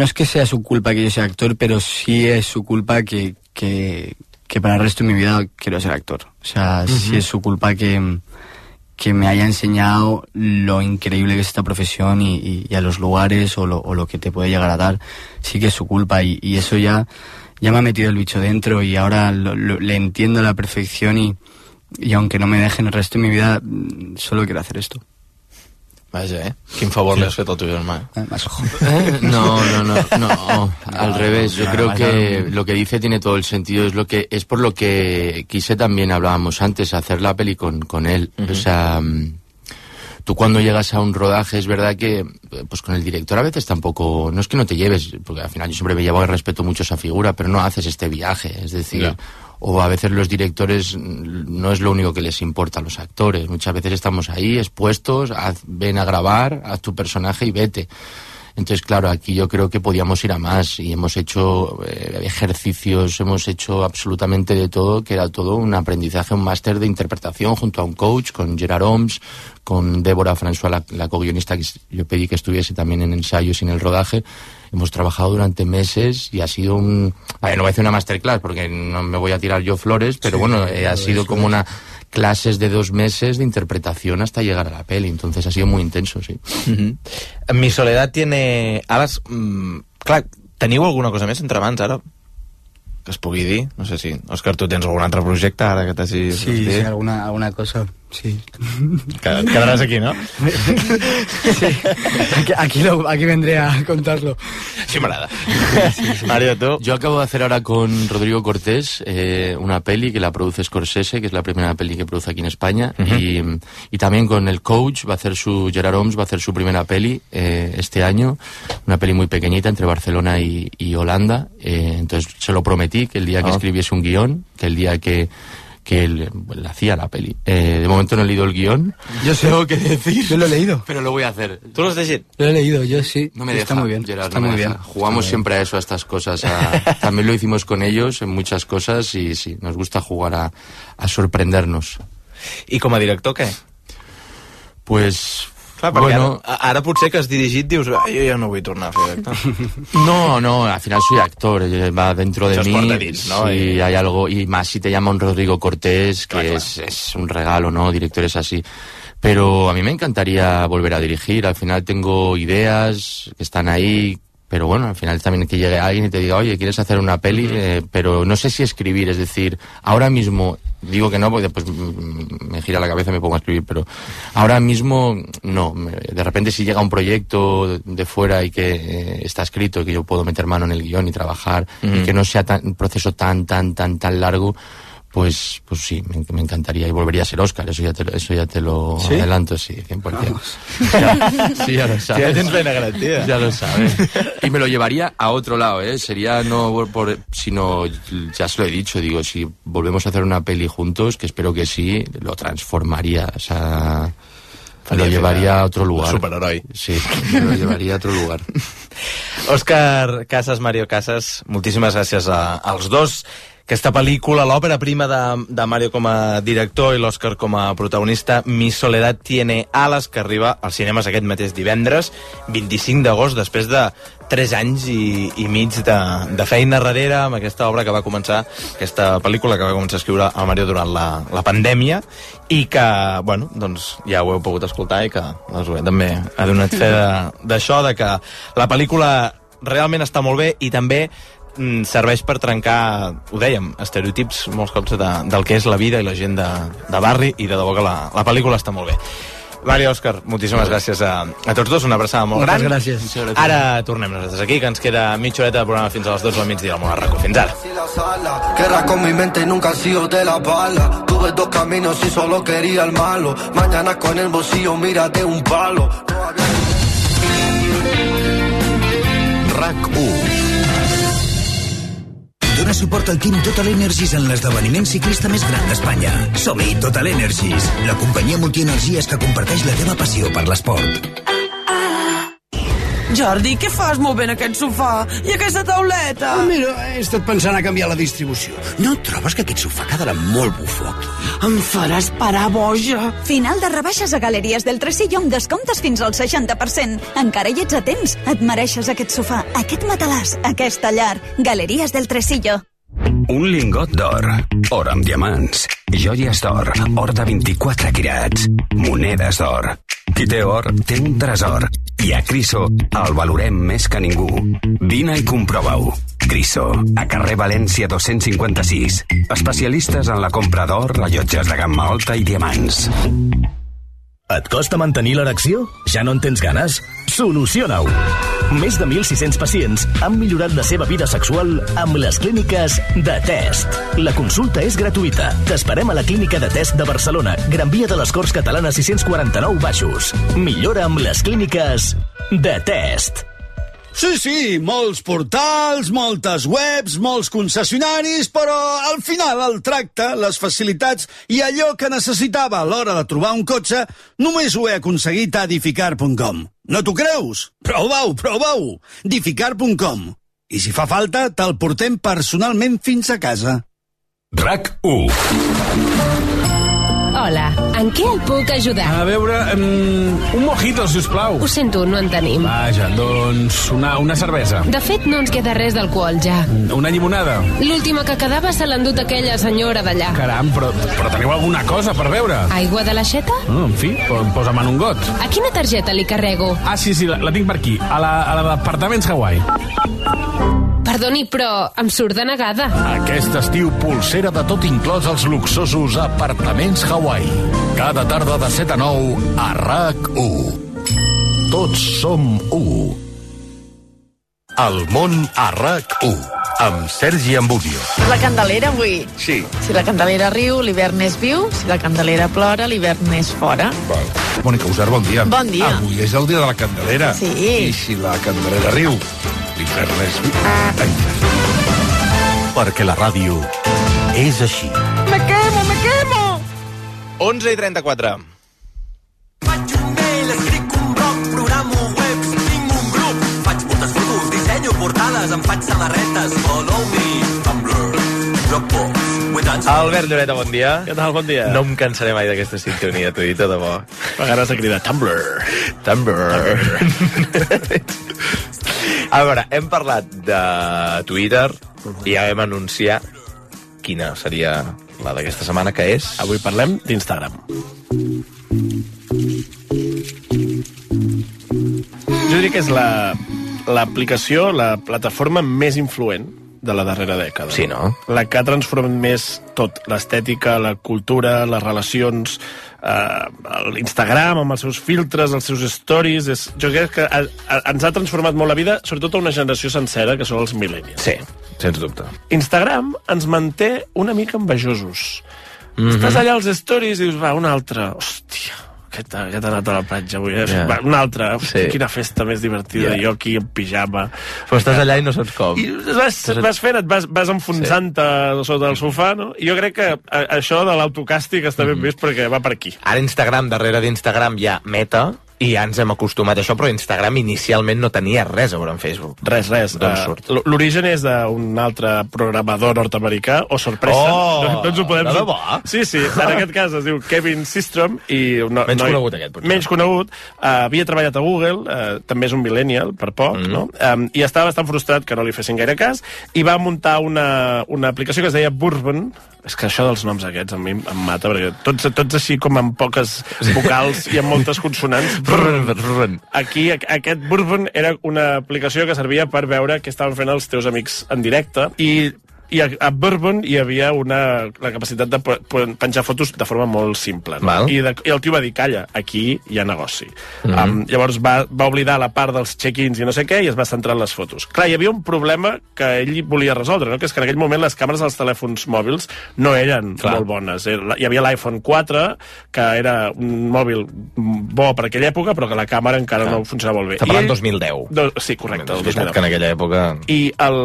es que sea su culpa que yo sea actor, pero sí es su culpa que, que, que para el resto de mi vida quiero ser actor. O sea, uh-huh. sí es su culpa que, que me haya enseñado lo increíble que es esta profesión y, y, y a los lugares o lo, o lo que te puede llegar a dar. Sí que es su culpa y, y eso ya, ya me ha metido el bicho dentro y ahora lo, lo, le entiendo a la perfección y y aunque no me dejen el resto de mi vida, solo quiero hacer esto. Vaja, eh? Quin favor sí. le has fet al teu germà? Eh, más ojo. No, no, no, no, no, al revés. Yo creo que lo que dice tiene todo el sentido. Es lo que es por lo que quise también, hablábamos antes, hacer la peli con, con él. Uh-huh. O sea, tú cuando llegas a un rodaje, es verdad que pues con el director a veces tampoco, no es que no te lleves, porque al final yo siempre me llevo y respeto mucho esa figura, pero no haces este viaje, es decir... Yeah. O a veces los directores no es lo único que les importa a los actores. Muchas veces estamos ahí expuestos, haz, ven a grabar, haz tu personaje y vete. Entonces, claro, aquí yo creo que podíamos ir a más y hemos hecho eh, ejercicios, hemos hecho absolutamente de todo, que era todo un aprendizaje, un máster de interpretación junto a un coach, con Gerard Homs, con Débora François, la, la co-guionista que yo pedí que estuviese también en ensayos y en el rodaje. Hemos trabajado durante meses y ha sido un... A ver, no voy a hacer una masterclass porque no me voy a tirar yo flores, pero sí, bueno, eh, ha sido como una clases de dos meses de interpretación hasta llegar a la peli, entonces ha sido muy intenso, sí. Uh-huh. Mi Soledad tiene... Ara, mm, clar, teniu alguna cosa més entre mans ara? Que es pugui dir? No sé si... Òscar, tu tens algun altre projecte ara que t'hagi... Sí, sí, alguna, alguna cosa, sí. Quedarás aquí, ¿no? Sí, aquí, aquí, lo, aquí vendré a contarlo. Sí, m'agrada. Sí, sí. Mario, ¿tú? Yo acabo de hacer ahora con Rodrigo Cortés eh, una peli que la produce Scorsese, que es la primera peli que produce aquí en España, uh-huh. y, y también con el coach va a hacer su... Gerard Homs va a hacer su primera peli eh, este año, una peli muy pequeñita entre Barcelona y, y Holanda, eh, entonces se lo prometí que el día que oh. escribiese un guión, que el día que que él bueno, hacía la peli. Eh, de momento no he leído el guión. Yo sé lo que decir. Yo lo he leído. Pero lo voy a hacer. ¿Tú lo has leído? Lo he leído, yo sí. No me deja, está muy bien. Gerard, está no muy deja. bien. Jugamos está siempre bien. a eso, a estas cosas. A... También lo hicimos con ellos en muchas cosas y sí, nos gusta jugar a, a sorprendernos. ¿Y como director qué? Pues... Clar, perquè bueno, ara, ara potser que has dirigit dius, ah, jo ja no vull tornar a fer actor. No, no, al final soy actor, va dentro de mí. Dins, ¿no? Sí, y hay algo, y más si te llama un Rodrigo Cortés, que claro, es, es un regalo, ¿no? Directores así. Pero a mí me encantaría volver a dirigir, al final tengo ideas que están ahí, pero bueno, al final también que llegue alguien y te diga, oye, ¿quieres hacer una peli? Eh, pero no sé si escribir, es decir, ahora mismo, digo que no, porque después me gira la cabeza y me pongo a escribir, pero ahora mismo no. De repente si llega un proyecto de fuera y que eh, está escrito y que yo puedo meter mano en el guión y trabajar, mm. y que no sea tan, un proceso tan, tan, tan, tan largo, pues pues sí, me, me encantaría y volvería a ser Òscar, eso ya te, eso ya te lo ¿Sí? adelanto, sí, cien por ciento. Ya, sí, ya lo sabes. Ya tienes plena garantía. Ya lo sabes. Y me lo llevaría a otro lado, ¿eh? Sería no por, sino, ya se lo he dicho, digo, si volvemos a hacer una peli juntos, que espero que sí, lo transformaría, o sea, me lo llevaría a otro lugar. Superheroi. Sí, me lo llevaría a otro lugar. Òscar Casas, Mario Casas, moltíssimes gràcies a, als dos. Aquesta pel·lícula, l'òpera prima de, de Mario com a director i l'Òscar com a protagonista, Mi soledad tiene alas, que arriba als cinemes aquest mateix divendres, vint-i-cinc d'agost, després de tres anys i, i mig de, de feina darrere amb aquesta obra que va començar, aquesta pel·lícula que va començar a escriure el Mario durant la, la pandèmia i que, bueno, doncs ja ho heu pogut escoltar i que la Zoè també ha donat fe d'això, de, de que la pel·lícula realment està molt bé i també serveix per trencar, ho dèiem, estereotips molts cops de, del que és la vida i la gent de, de barri, i de debò que la, la pel·lícula està molt bé. Mario, Òscar, moltíssimes gràcies a, a tots dos, una abraçada molt Moltes gran. Gràcies. Ara tornem nosaltres aquí, que ens queda mitja horeta de programa fins a les dotze del migdia al Món Arraco. Fins ara. Guerra con mi mente, nunca he sido de la bala. Tuve dos caminos y solo quería el malo. Mañana con el bolsillo, mírate un palo. RAC u. Dóna suport al Team Total Energies en l'esdeveniment ciclista més gran d'Espanya. Som-hi, Total Energies, la companyia multienergies que comparteix la teva passió per l'esport. Jordi, què fas movent aquest sofà? I aquesta tauleta? Oh, mira, he estat pensant a canviar la distribució. No trobes que aquest sofà quedarà molt bufó aquí? Em faràs parar boja. Final de rebaixes a Galeries del Tresillo amb descomptes fins al seixanta per cent. Encara hi ets a temps. Et mereixes aquest sofà, aquest matalàs, aquesta llar. Galeries del Tresillo. Un lingot d'or, or amb diamants, joies d'or, or de vint-i-quatre quirats, monedes d'or. Qui té or, té un tresor. I a Criso el valorem més que ningú. Vine i comprova-ho. Criso, a carrer València dos-cents cinquanta-sis. Especialistes en la compra d'or, rellotges de gamma alta i diamants. Et costa mantenir l'erecció? Ja no en tens ganes? Soluciona-ho! Més de mil sis-cents pacients han millorat la seva vida sexual amb les clíniques de Test. La consulta és gratuïta. T'esperem a la clínica de Test de Barcelona, Gran Via de les Corts Catalanes sis-cents quaranta-nou Baixos. Millora amb les clíniques de Test. Sí, sí, molts portals, moltes webs, molts concessionaris, però al final el tracte, les facilitats i allò que necessitava a l'hora de trobar un cotxe només ho he aconseguit a Dificar punt com. No t'ho creus? Prova-ho, prova-ho! Dificar punt com. I si fa falta, te'l portem personalment fins a casa. RAC u. Hola, en què el puc ajudar? A veure, um, un mojito, si us plau. Ho sento, no en tenim. Vaja, doncs una, una cervesa. De fet, no ens queda res d'alcohol, ja. Una llimonada. L'última que quedava se l'ha endut aquella senyora d'allà. Caram, però, però teniu alguna cosa per beure? Aigua de l'aixeta? Oh, en fi, posa'm en un got. A quina targeta li carrego? Ah, sí, sí, la, la tinc per aquí, a la, a la d'Apartaments Hawaii. Perdoni, però em surt de negada. Aquest estiu, pulsera de tot inclòs als luxosos Apartaments Hawaii. Cada tarda de set a nou a RAC u. Tots som u. El món a RAC u. Amb Sergi Ambudio. La Candelera avui. Sí. Si la Candelera riu, l'hivern és viu. Si la Candelera plora, l'hivern és fora. Val. Mònica Usar, bon dia. Bon dia. Avui és el dia de la Candelera. Sí. I si la Candelera riu, l'hivern és viu. Perquè la ràdio és així. Me quemo, me quemo! onze i trenta-quatre. Faig un mail, escric un blog, programo webs, tinc un grup, faig moltes fotos, dissenyo portades, em faig samarretes, follow me, Tumblr. Albert Lloreta, bon dia. Què tal, bon dia? No em cansaré mai d'aquesta sintonia, t'ho he dit, de debò. A vegades de cridar Tumblr. Tumblr. A veure, hem parlat de Twitter i ja vam anunciar quina seria la d'aquesta setmana, que és... Avui parlem d'Instagram. Jo diria que és la, l'aplicació, la plataforma més influent de la darrera dècada. Sí, no? La que ha transformat més tot, l'estètica, la cultura, les relacions, eh, l'Instagram amb els seus filtres, els seus stories... És, jo crec que a, a, ens ha transformat molt la vida, sobretot a una generació sencera, que són els millennials. Sí, sens dubte. Instagram ens manté una mica envejosos. Mm-hmm. Estàs allà als stories i dius, va, un altre, hòstia... Aquest, aquest ha anat a la platja avui, eh? Yeah. Va, una altra, sí. Quina festa més divertida, yeah. Jo aquí en pijama. Però estàs allà i no saps com. I vas, vas fent, et vas, vas enfonsant-te sí. Sota el sofà, no? I jo crec que a, això de l'autocàstig està ben mm. vist perquè va per aquí. Ara Instagram, darrere d'Instagram hi ha Meta, i ja ens hem acostumat a això, però Instagram inicialment no tenia res a veure amb Facebook. Res, res. Uh, L'origen és d'un altre programador nord-americà, o sorpresa. Oh, no, no ens ho podem... de debò? Sí, sí, en aquest cas es diu Kevin Systrom. I no, menys no, conegut aquest, potser. Menys conegut. Uh, havia treballat a Google, uh, també és un millennial, per poc, mm. no? Um, I estava bastant frustrat que no li fessin gaire cas, i va muntar una, una aplicació que es deia Bourbon. És que això dels noms aquests a mi em mata, perquè tots, tots així com amb poques vocals i amb moltes consonants. Aquí, aquest Bourbon era una aplicació que servia per veure què estaven fent els teus amics en directe, i i a, a Bourbon hi havia una, la capacitat de penjar fotos de forma molt simple, no? I, de, i el tio va dir, calla, aquí hi ha negoci. Mm-hmm. um, llavors va, va oblidar la part dels check-ins i no sé què, i es va centrar en les fotos. Clar, hi havia un problema que ell volia resoldre, no? Que és que en aquell moment les càmeres dels telèfons mòbils no eren Clar. molt bones. Hi havia l'iPhone quatre, que era un mòbil bo per aquella època, però que la càmera encara Clar. no funcionava molt bé. Està parlant dos mil deu. Do, sí, correcte. És veritat que en aquella època... I el,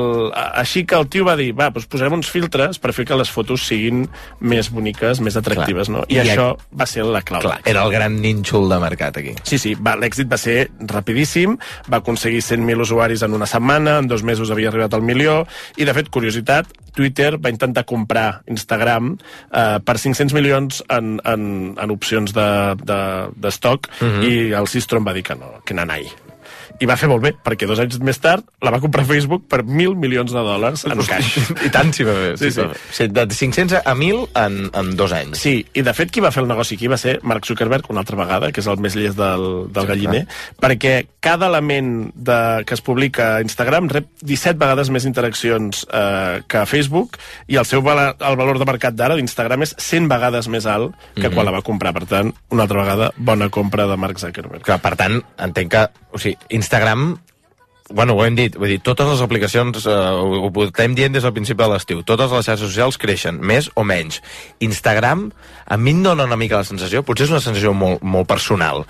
així que el tio va dir, va, doncs posarem uns filtres per fer que les fotos siguin més boniques, més atractives, Clar. no? I, I això a... va ser la clau. Clar, era el gran nínxol de mercat aquí. Sí, sí, va, l'èxit va ser rapidíssim, va aconseguir cent mil usuaris en una setmana, en dos mesos havia arribat al milió, i de fet, curiositat, Twitter va intentar comprar Instagram eh, per cinc-cents milions en, en, en opcions de, de, de stock, mm-hmm. i el Systrom va dir que no, que nanai. I va fer molt bé, perquè dos anys més tard la va comprar Facebook per mil milions de dòlars en cash. I tant si va bé. Sí, sí. sí. De cinc-cents a mil en, en dos anys. Sí, i de fet qui va fer el negoci aquí va ser Mark Zuckerberg una altra vegada, que és el més llest del, del galliner, perquè cada element de, que es publica a Instagram rep disset vegades més interaccions eh, que a Facebook, i el seu val, el valor de mercat d'ara d'Instagram és cent vegades més alt que mm-hmm. quan la va comprar. Per tant, una altra vegada, bona compra de Mark Zuckerberg. Clar, per tant, entenc que... O sigui, Instagram, bueno, ho hem dit, vull dir, totes les aplicacions, eh, ho, ho portem dient des del principi de l'estiu, totes les xarxes socials creixen, més o menys. Instagram, a mi em dona una mica la sensació, potser és una sensació molt, molt personal.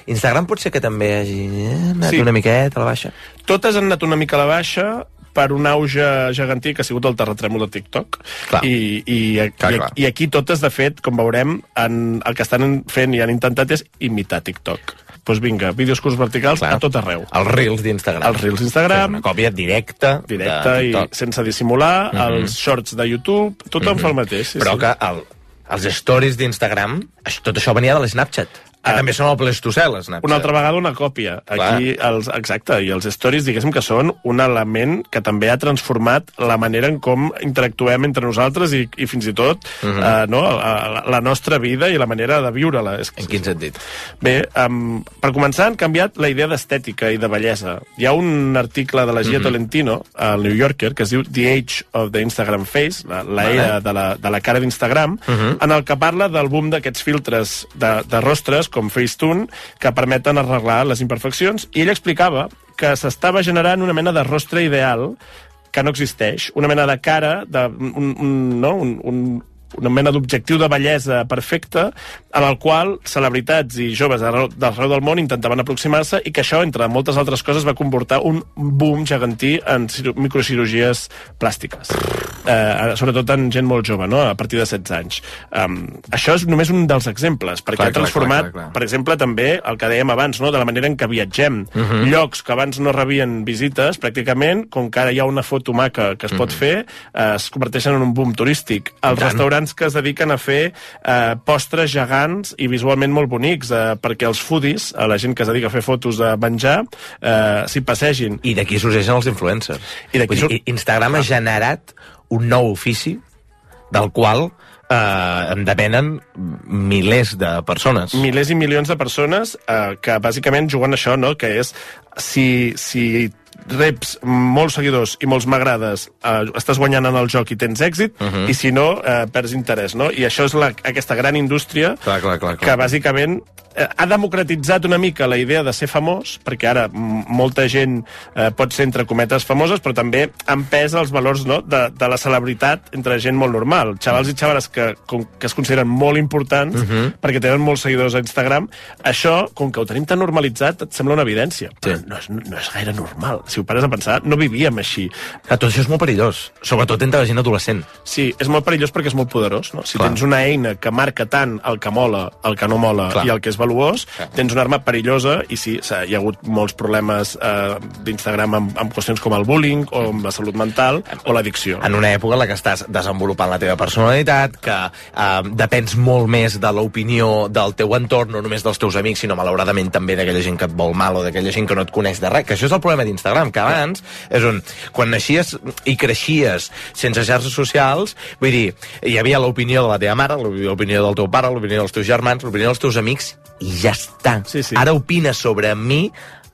Instagram pot ser que també hagi anat sí. una miqueta a la baixa? Totes han anat una mica a la baixa, per un auge gegantí que ha sigut el terratrèmol de TikTok. Clar. I, i, clar, i, clar. i aquí totes, de fet, com veurem, han, el que estan fent i han intentat és imitar TikTok. Doncs vinga, vídeos curts verticals clar. a tot arreu. Els Reels d'Instagram. Els Reels d'Instagram. Una còpia directa. Directa i sense dissimular. Mm-hmm. Els shorts de YouTube. Tothom mm-hmm. fa el mateix. Sí, Però sí. que el, els stories d'Instagram, tot això venia de l'Snapchat. Que ah, també són el Pleistocel, Snapchat. Una altra vegada una còpia. Aquí, els, exacte, i els stories, diguéssim que són un element que també ha transformat la manera en com interactuem entre nosaltres i, i fins i tot uh-huh. eh, no, la, la nostra vida i la manera de viure-la. En quin sentit? Bé, um, per començar, han canviat la idea d'estètica i de bellesa. Hi ha un article de la Gia uh-huh. Tolentino, al New Yorker, que es diu The Age of the Instagram Face, la, la vale. era de la, de la cara d'Instagram, uh-huh. en el que parla del boom d'aquests filtres de, de rostres, com Facetune, que permeten arreglar les imperfeccions, i ell explicava que s'estava generant una mena de rostre ideal que no existeix, una mena de cara, de, un, un, no? un, un, una mena d'objectiu de bellesa perfecta, en el qual celebritats i joves d'arreu del món intentaven aproximar-se, i que això, entre moltes altres coses, va comportar un boom gegantí en microcirurgies plàstiques. Eh, sobretot en gent molt jove, no? A partir de setze anys. Um, això és només un dels exemples, perquè clar, ha transformat, clar, clar, clar. per exemple, també el que dèiem abans, no? De la manera en què viatgem. Uh-huh. Llocs que abans no rebien visites, pràcticament, com que ara hi ha una foto maca que es uh-huh. pot fer, eh, es converteixen en un boom turístic. Els restaurants que es dediquen a fer eh, postres gegants i visualment molt bonics, eh, perquè els foodies, a la gent que es dedica a fer fotos de menjar, eh, s'hi passegin. I d'aquí sorgeixen els influencers. I d'aquí sur... Instagram ha generat un nou ofici del qual eh, en depenen milers de persones. Milers i milions de persones eh, que bàsicament juguen això, no? Que és si, si reps molts seguidors i molts m'agrades, eh, estàs guanyant en el joc i tens èxit, uh-huh. i si no, eh, perds interès, no? I això és la, aquesta gran indústria clar, clar, clar, clar. que bàsicament ha democratitzat una mica la idea de ser famós, perquè ara molta gent eh, pot ser entre cometes famoses, però també han pes els valors, no? de, de la celebritat entre gent molt normal. Xavals i xavales que, com, que es consideren molt importants uh-huh. perquè tenen molts seguidors a Instagram. Això, com que ho tenim tan normalitzat, et sembla una evidència. Sí. Però no és, no és gaire normal. Si ho pares a pensar, no vivíem així. Que tot això és molt perillós, sobretot entre la gent adolescent. Sí, és molt perillós perquè és molt poderós. No? Si Clar. tens una eina que marca tant el que mola, el que no mola Clar. i el que és valuós, Clar. tens una arma perillosa, i sí, hi ha hagut molts problemes eh, d'Instagram amb, amb qüestions com el bullying o amb la salut mental o l'addicció. En una època en la que estàs desenvolupant la teva personalitat, que eh, depens molt més de l'opinió del teu entorn, no només dels teus amics, sinó malauradament també d'aquella gent que et vol mal o d'aquella gent que no et coneix de res, que això és el problema d'Instagram, que abans és on, quan naixies i creixies sense xarxes socials, vull dir, hi havia l'opinió de la teva mare, l'opinió del teu pare, l'opinió dels teus germans, l'opinió dels teus amics, i ja està. Sí, sí. Ara opina sobre mi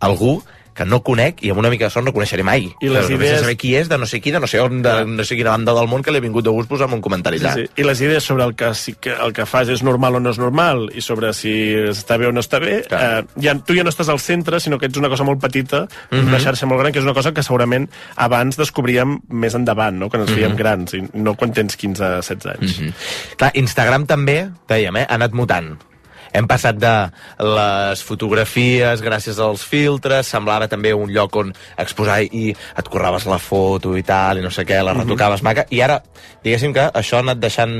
algú que no conec i amb una mica de sort no coneixeré mai. I les Però idees... saber qui és, de no sé qui, de no sé on, de no sé quina banda del món que li ha vingut de gust posar en un comentari allà. Sí, sí. I les idees sobre el que, si, que el que fas és normal o no és normal i sobre si està bé o no està bé, eh, ja, tu ja no estàs al centre, sinó que ets una cosa molt petita, mm-hmm. una xarxa molt gran, que és una cosa que segurament abans descobríem més endavant, no? Quan ens fèiem mm-hmm. grans, i no quan tens quinze setze anys. Mm-hmm. Clar, Instagram també, dèiem, eh, ha anat mutant. Hem passat de les fotografies gràcies als filtres, semblava també un lloc on exposar i et curraves la foto i tal, i no sé què, la retocaves maca, i ara, diguéssim que això ha anat deixant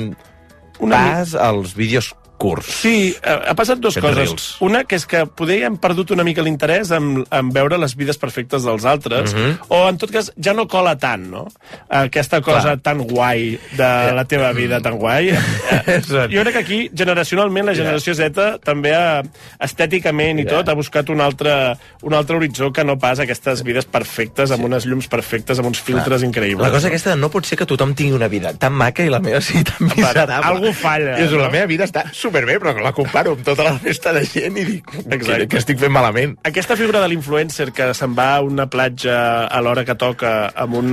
pas als vídeos curts. Sí, ha passat dues Aquests coses. reels. Una, que és que poder hem perdut una mica l'interès en, en veure les vides perfectes dels altres, Mhm. o en tot cas ja no cola tant, no? Aquesta cosa Clar. tan guai de la teva vida, tan guai. Eh, jo crec que aquí, generacionalment, la generació Z també ha, estèticament i tot, ha buscat un altre, un altre horitzó que no pas aquestes vides perfectes, amb unes llums perfectes, amb uns filtres increïbles. La cosa aquesta no pot ser que tothom tingui una vida tan maca i la meva sigui tan miserable. Algú falla, I és, no? La meva vida està superbé, però la comparo amb tota la resta de gent i dic que, que estic fent malament. Aquesta figura de l'influencer que se'n va a una platja a l'hora que toca amb, un,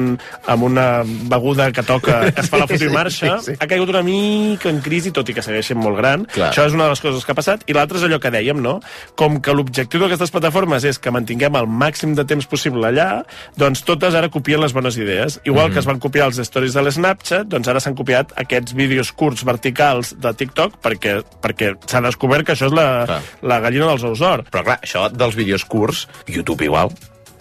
amb una beguda que toca, es fa la foto i marxa, Sí, sí, sí. ha caigut una mica en crisi, tot i que segueix sent molt gran. Clar. Això és una de les coses que ha passat. I l'altre és allò que dèiem, no? Com que l'objectiu d'aquestes plataformes és que mantinguem el màxim de temps possible allà, doncs totes ara copien les bones idees. Igual Mhm. que es van copiar els stories de l'Snapchat, doncs ara s'han copiat aquests vídeos curts verticals de TikTok perquè, perquè s'ha descobert que això és la, la gallina dels ous d'or. Però clar, això dels vídeos curts, YouTube igual,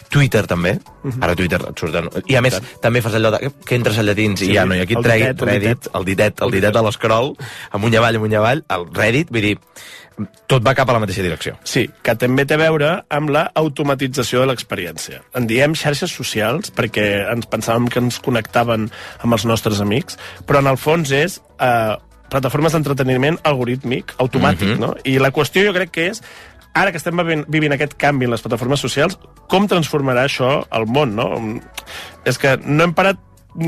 Twitter també, ara Twitter et surten... I a més, també fas allò de, que entres a llatins Sí, i ja no hi ha qui et el tregui, ditet, el Reddit, ditet. el ditet, el ditet de l'escroll, amunt i avall, amunt i avall, el Reddit, vull dir, tot va cap a la mateixa direcció. Sí, que també té a veure amb la automatització de l'experiència. En diem xarxes socials perquè ens pensàvem que ens connectaven amb els nostres amics, però en el fons és eh, plataformes d'entreteniment algorítmic, automàtic, Mhm. no? I la qüestió jo crec que és, ara que estem vivint, vivint aquest canvi en les plataformes socials, com transformarà això el món, no? És que no hem parat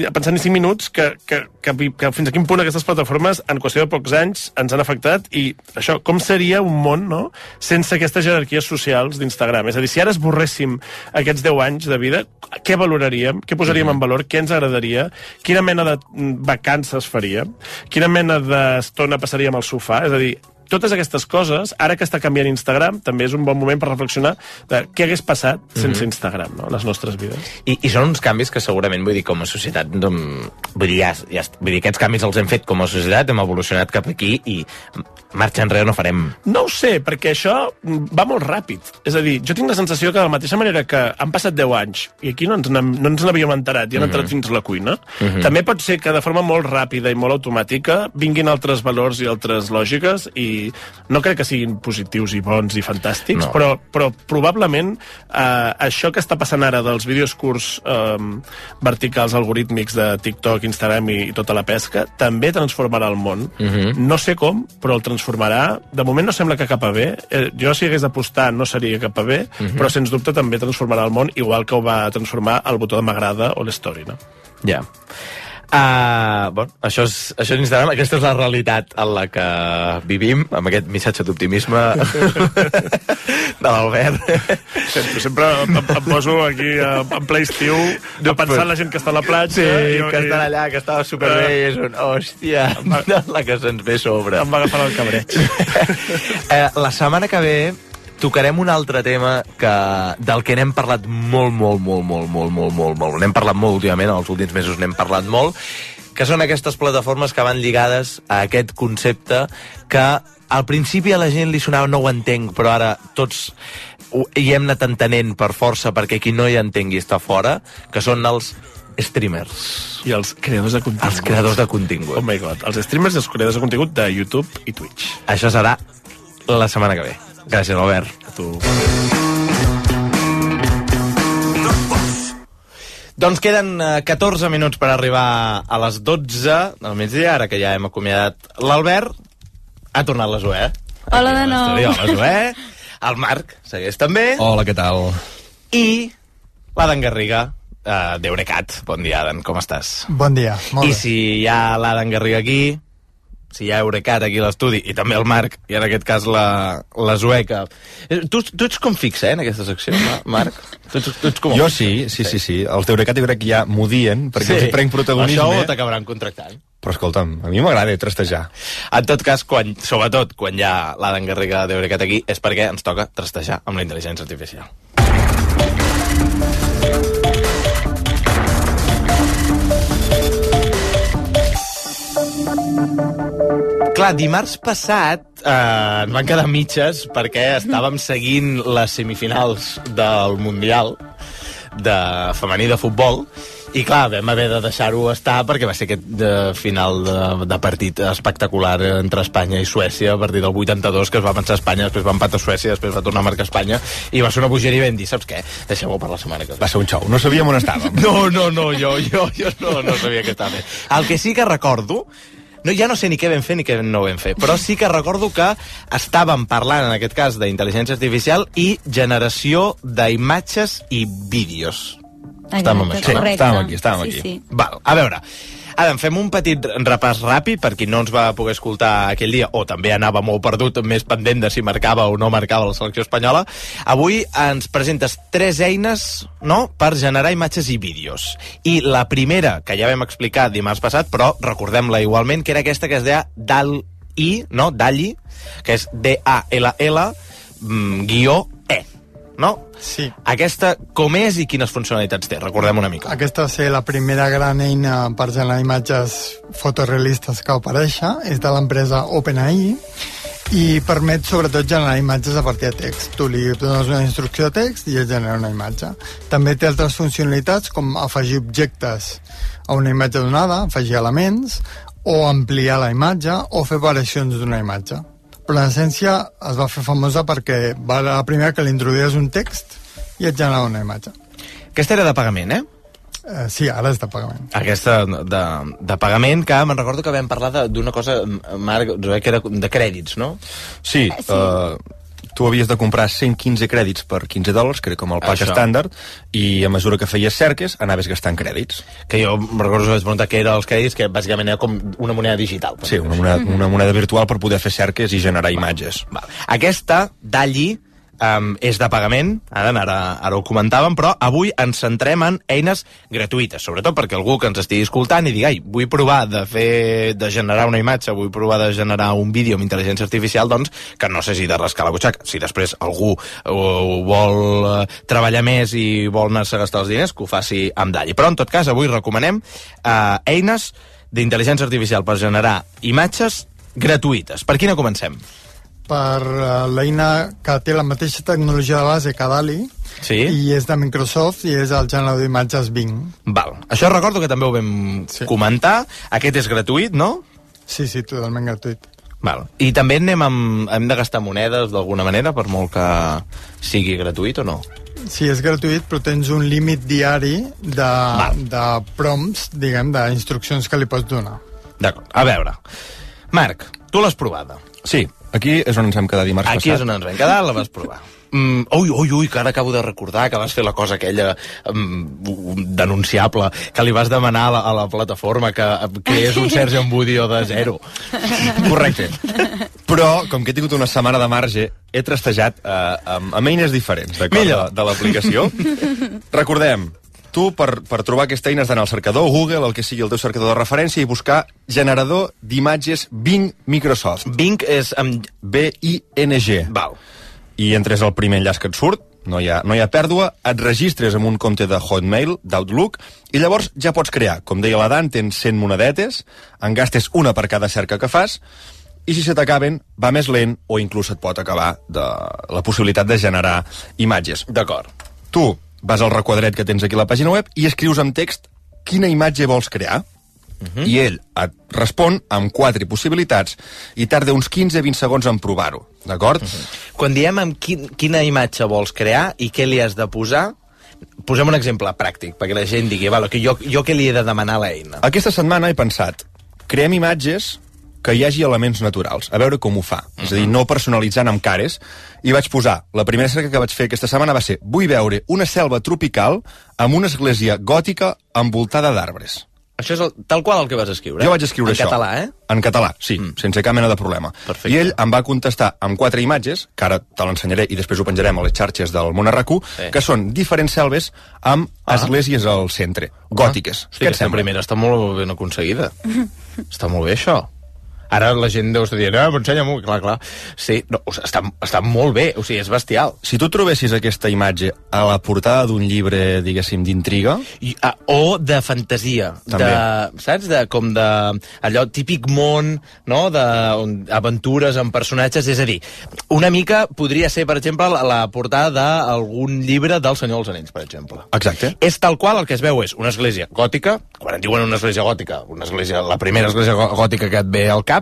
a pensar ni cinc minuts que, que, que, que fins a quin punt aquestes plataformes en qüestió de pocs anys ens han afectat i això, com seria un món, no?, sense aquestes jerarquies socials d'Instagram. És a dir, si ara esborréssim aquests deu anys de vida, què valoraríem? Què posaríem Mhm. en valor? Què ens agradaria? Quina mena de vacances faríem? Quina mena d'estona passaríem al sofà? És a dir, totes aquestes coses, ara que està canviant Instagram, també és un bon moment per reflexionar de què hagués passat sense Mhm. Instagram, no?, les nostres vides. I, I són uns canvis que segurament, vull dir, com a societat, doncs, vull dir, ja, ja, vull dir, aquests canvis els hem fet com a societat, hem evolucionat cap aquí i marxa enrere no farem. No ho sé, perquè això va molt ràpid. És a dir, jo tinc la sensació que de la mateixa manera que han passat deu anys i aquí no ens n'hem- no ens n'havíem enterat i han entrat Mhm. fins a la cuina, Mhm. també pot ser que de forma molt ràpida i molt automàtica vinguin altres valors i altres lògiques i no crec que siguin positius i bons i fantàstics, No. però, però probablement eh, això que està passant ara dels vídeos curts eh, verticals algorítmics de TikTok, Instagram i, i tota la pesca també transformarà el món. Mhm. No sé com, però el transformarà. De moment no sembla que cap a bé. Eh, jo, si hagués d'apostar, no seria cap a bé, Mhm. però sens dubte també transformarà el món, igual que ho va transformar el botó de m'agrada o l'story, no? Ja. Uh, bueno, això és, això és Instagram, aquesta és la realitat en la que vivim, amb aquest missatge d'optimisme de l'Albert. Sempre, sempre em, em poso aquí a, en ple estiu a pensar en la gent que està a la platja. Sí, i, que estan allà, que estava superbé, i és un, hòstia, la que se'ns ve a sobre. Em va agafar el cabreig. eh, la setmana que ve tocarem un altre tema que, del que n'hem parlat molt, molt, molt, molt, molt, molt, molt, molt. N'hem parlat molt últimament, els últims mesos n'hem parlat molt, que són aquestes plataformes que van lligades a aquest concepte que al principi a la gent li sonava no ho entenc, però ara tots ho, hi hem anat entenent per força perquè qui no hi entengui està fora, que són els streamers. I els creadors de contingut. Els creadors de contingut. Oh my god, els streamers i els creadors de contingut de YouTube i Twitch. Això serà la setmana que ve. Gràcies, Albert. A tu. Doncs queden eh, catorze minuts per arribar a les dotze del migdia, ara que ja hem acomiadat l'Albert. Ha tornat la Zoè. Hola de nou. Hola, Zoè. El Marc segueix també. Hola, què tal? I l'Adan Garriga, uh, d'Eurecat. Bon dia, Adan, com estàs? Bon dia, molt I bé. si hi ha l'Adan Garriga aquí, si hi ha Eurecat aquí a l'estudi, i també el Marc, i en aquest cas la, la Zoeca. Tu, tu ets com fixa, eh, en aquesta secció, Marc? Tu, ets, tu ets com Jo sí, sí, sí, sí. Els d'Eurecat jo crec que ja m'odien, perquè els hi prenc protagonisme. Això ho t'acabaran contractant. Però escolta'm, a mi m'agrada trastejar. En tot cas, quan, sobretot quan hi ha l'Adan Garriga d'Eurecat aquí, és perquè ens toca trastejar amb la intel·ligència artificial. Clar, dimarts passat eh, ens van quedar mitges perquè estàvem seguint les semifinals del Mundial de femení de futbol i clar, vam haver de deixar-ho estar perquè va ser aquest de final de, de partit espectacular entre Espanya i Suècia a partir del vuitanta-dos, que es va pensar Espanya, després va empatar Suècia, després va tornar a marcar Espanya i va ser una bogeria i vam dir, saps què? Deixem-ho per la setmana que ve. Va ser un xou, no sabíem on estàvem. No, no, no, jo, jo, jo no, no sabia que estava bé. El que sí que recordo, no, ja no sé ni què vam fer ni què no vam fer, però sí que recordo que estàvem parlant, en aquest cas, d'intel·ligència artificial i generació d'imatges i vídeos. Estàvem amb això, no? Sí, estàvem aquí, estàvem Sí, aquí. sí. Val, a veure, ara fem un petit repàs ràpid per qui no ens va poder escoltar aquell dia o també anava molt perdut, més pendent de si marcava o no marcava la selecció espanyola. Avui ens presentes tres eines, no?, per generar imatges i vídeos. I la primera, que ja vam explicar dimarts passat, però recordem-la igualment, que era aquesta que es deia DAL-I, no?, DAL-I, que és D A L L guió E, no? Sí. Aquesta com és i quines funcionalitats té? Recordem una mica. Aquesta va ser la primera gran eina per generar imatges fotorealistes que va aparèixer. És de l'empresa OpenAI i permet sobretot generar imatges a partir de text. Tu li dones una instrucció de text i ell genera una imatge. També té altres funcionalitats com afegir objectes a una imatge donada, afegir elements, o ampliar la imatge o fer variacions d'una imatge. Però en essència es va fer famosa perquè va la primera que li introduïes un text i et generava una imatge. Aquesta era de pagament, eh? Eh, sí, ara és de pagament. Aquesta de, de pagament, que me'n recordo que vam parlar de- d'una cosa, Marc, que era de crèdits, no? Sí, uh, tu havies de comprar cent quinze crèdits per quinze dòlars, que era com el pack Això. estàndard, i a mesura que feies cerques anaves gastant crèdits. Que jo em recordo que vaig preguntar què eren els crèdits, que bàsicament era com una moneda digital. Sí, una moneda, una moneda virtual per poder fer cerques i generar imatges. Val. Aquesta, DALL-I, um, és de pagament, ara, ara, ara ho comentàvem, però avui ens centrem en eines gratuïtes, sobretot perquè algú que ens estigui escoltant i digui, ai, vull provar de fer, de generar una imatge, vull provar de generar un vídeo amb intel·ligència artificial, doncs que no s'hagi de rascar la butxaca. Si després algú uh, vol uh, treballar més i vol anar-se a gastar els diners, que ho faci amb dalli. Però, en tot cas, avui recomanem uh, eines d'intel·ligència artificial per generar imatges gratuïtes. Per quina comencem? Per uh, l'eina que té la mateixa tecnologia de base que DALL-E, sí? I és de Microsoft i és el generador d'imatges Bing. Val. Això recordo que també ho vam sí. comentar. Aquest és gratuït, no? Sí, sí, totalment gratuït. Val. I també anem amb, hem de gastar monedes d'alguna manera, per molt que sigui gratuït o no? Sí, és gratuït, però tens un límit diari de, de prompts, diguem, d'instruccions que li pots donar. D'acord. A veure, Marc, tu l'has provada. Sí, aquí és on ens hem quedat dimarts Aquí passat. és on ens vam quedar, la vas provar. Mm, ui, ui, ui, que ara acabo de recordar que vas fer la cosa aquella um, denunciable, que li vas demanar a la, a la plataforma que, que és un Sergio Embudio de zero. Correcte. Però, com que he tingut una setmana de marge, he trastejat uh, amb, amb eines diferents, d'acord, de, de l'aplicació. Recordem, tu, per, per trobar aquesta eina, has d'anar al cercador Google, el que sigui el teu cercador de referència, i buscar generador d'imatges Bing Microsoft. Bing és amb B I N G. Val. I entres al primer enllaç que et surt, no hi ha, no hi ha pèrdua, et registres amb un compte de Hotmail, d'Outlook, i llavors ja pots crear. Com deia la Dan, tens cent monedetes, en gastes una per cada cerca que fas, i si se t'acaben, va més lent, o inclús et pot acabar de la possibilitat de generar imatges. D'acord. Tu vas al requadret que tens aquí a la pàgina web i escrius en text quina imatge vols crear. Uh-huh. I ell et respon amb quatre possibilitats i tarda uns quinze a vint segons en provar-ho, d'acord? Uh-huh. Quan diem amb quin, quina imatge vols crear i què li has de posar, posem un exemple pràctic, perquè la gent digui, vale, que jo, jo què li he de demanar a l'eina? Aquesta setmana he pensat, creem imatges que hi hagi elements naturals, a veure com ho fa. Uh-huh. És a dir, no personalitzant amb cares, i vaig posar, la primera cerca que vaig fer aquesta setmana va ser, vull veure una selva tropical amb una església gòtica envoltada d'arbres. Això és el, tal qual el que vas escriure? Jo vaig escriure en això. En català, eh? En català, sí, mm. sense cap mena de problema. Perfecte. I ell em va contestar amb quatre imatges, que ara te l'ensenyaré i després ho penjarem a les xarxes del Món R Q, sí. que són diferents selves amb ah. esglésies al centre, gòtiques. Ah. Hosti, aquesta primera està molt ben aconseguida. Està molt bé, això. Ara la gent deu estar dient, ah, ensenya-m'ho, clar, clar. Sí, no, o sigui, està, està molt bé, o sigui, és bestial. Si tu trobessis aquesta imatge a la portada d'un llibre, diguéssim, d'intriga... I, ah, o de fantasia. També. De, saps? De, com de... allò típic món, no?, d'aventures amb personatges. És a dir, una mica podria ser, per exemple, la, la portada d'algun llibre del Senyor dels Anells, per exemple. Exacte. És tal qual, el que es veu és una església gòtica, quan et diuen una església gòtica, una església, la primera església gòtica que et ve al cap,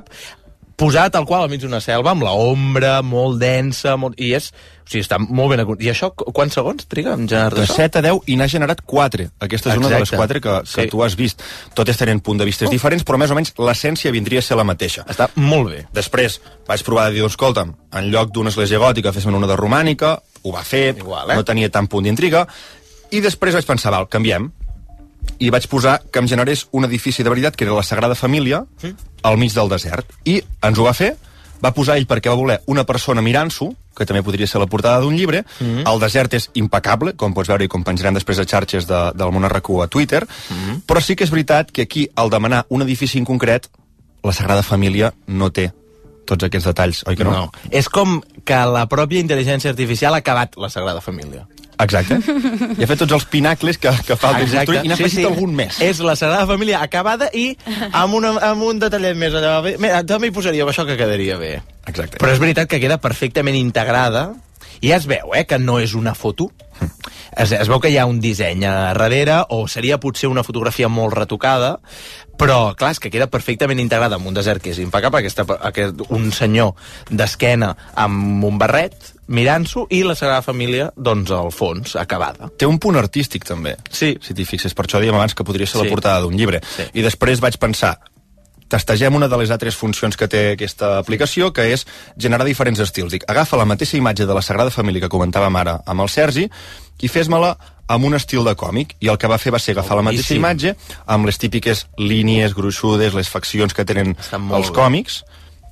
posat tal qual al mig d'una selva, amb la ombra molt densa, molt... i és... O sigui, està molt ben... I això, quants segons triga en generar de set a deu, i n'ha generat quatre. Aquesta és Exacte. Una de les quatre que, que sí. tu has vist. Totes tenen punts de vista oh. diferents, però més o menys l'essència vindria a ser la mateixa. Està molt bé. Després vaig provar de dir, escolta'm, en lloc d'una església gòtica, fes-me una de romànica, ho va fer, Igual, eh? no tenia tant punt d'intriga, i després vaig pensar, val, canviem, i vaig posar que em generés un edifici de veritat, que era la Sagrada Família, sí. al mig del desert. I ens ho va fer, va posar ell perquè va voler una persona mirant-s'ho, que també podria ser la portada d'un llibre. Mm-hmm. El desert és impecable, com pots veure i com penjarem després a xarxes de, del Món R Q a Twitter, mm-hmm. però sí que és veritat que aquí, al demanar un edifici en concret, la Sagrada Família no té tots aquests detalls, oi que no? No. És com que la pròpia intel·ligència artificial ha acabat la Sagrada Família. Exacte. I ha fet tots els pinacles que, que falten construir i n'ha sí, afegit sí. algun més. És la Sagrada Família acabada i amb, una, amb un detallet més allà. Mira, també hi posaria això que quedaria bé. Exacte. Però és veritat que queda perfectament integrada i ja es veu, eh, que no és una foto. Es, es veu que hi ha un disseny a darrere, o seria potser una fotografia molt retocada, però, clar, és que queda perfectament integrada en un desert que és impecable, aquesta, aquest, un senyor d'esquena amb un barret, mirant-s'ho, i la Sagrada Família, doncs, al fons, acabada. Té un punt artístic, també, sí. si t'hi fixes. Per això dèiem abans que podria ser sí. la portada d'un llibre. Sí. I després vaig pensar, testegem una de les altres funcions que té aquesta aplicació, que és generar diferents estils. Dic, agafa la mateixa imatge de la Sagrada Família que comentàvem ara amb el Sergi i fes-me-la amb un estil de còmic. I el que va fer va ser agafar la mateixa imatge amb les típiques línies gruixudes, les faccions que tenen els còmics,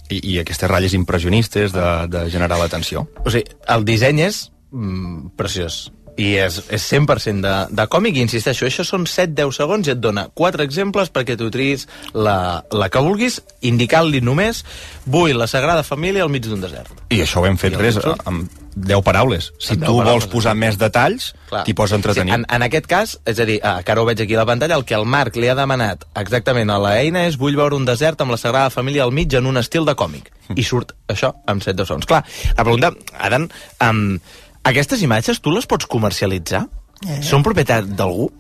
i, i aquestes ratlles impressionistes de, de generar l'atenció. O sigui, el disseny és mm, preciós. I és, és cent per cent de, de còmic, i insisteixo, això són set a deu segons i et dona quatre exemples perquè tu triïs la, la que vulguis, indicant-li només vull la Sagrada Família al mig d'un desert. I això ho hem fet res, amb deu paraules. Si tu vols posar més detalls, t'hi pots entretenir. Sí, en, en aquest cas, és a dir, ah, que ara ho veig aquí a la pantalla, el que el Marc li ha demanat exactament a l'eina és vull veure un desert amb la Sagrada Família al mig en un estil de còmic. I surt això amb set a deu segons. Clar, la pregunta, Adam, um, aquestes imatges tu les pots comercialitzar? Eh. Són propietat d'algú?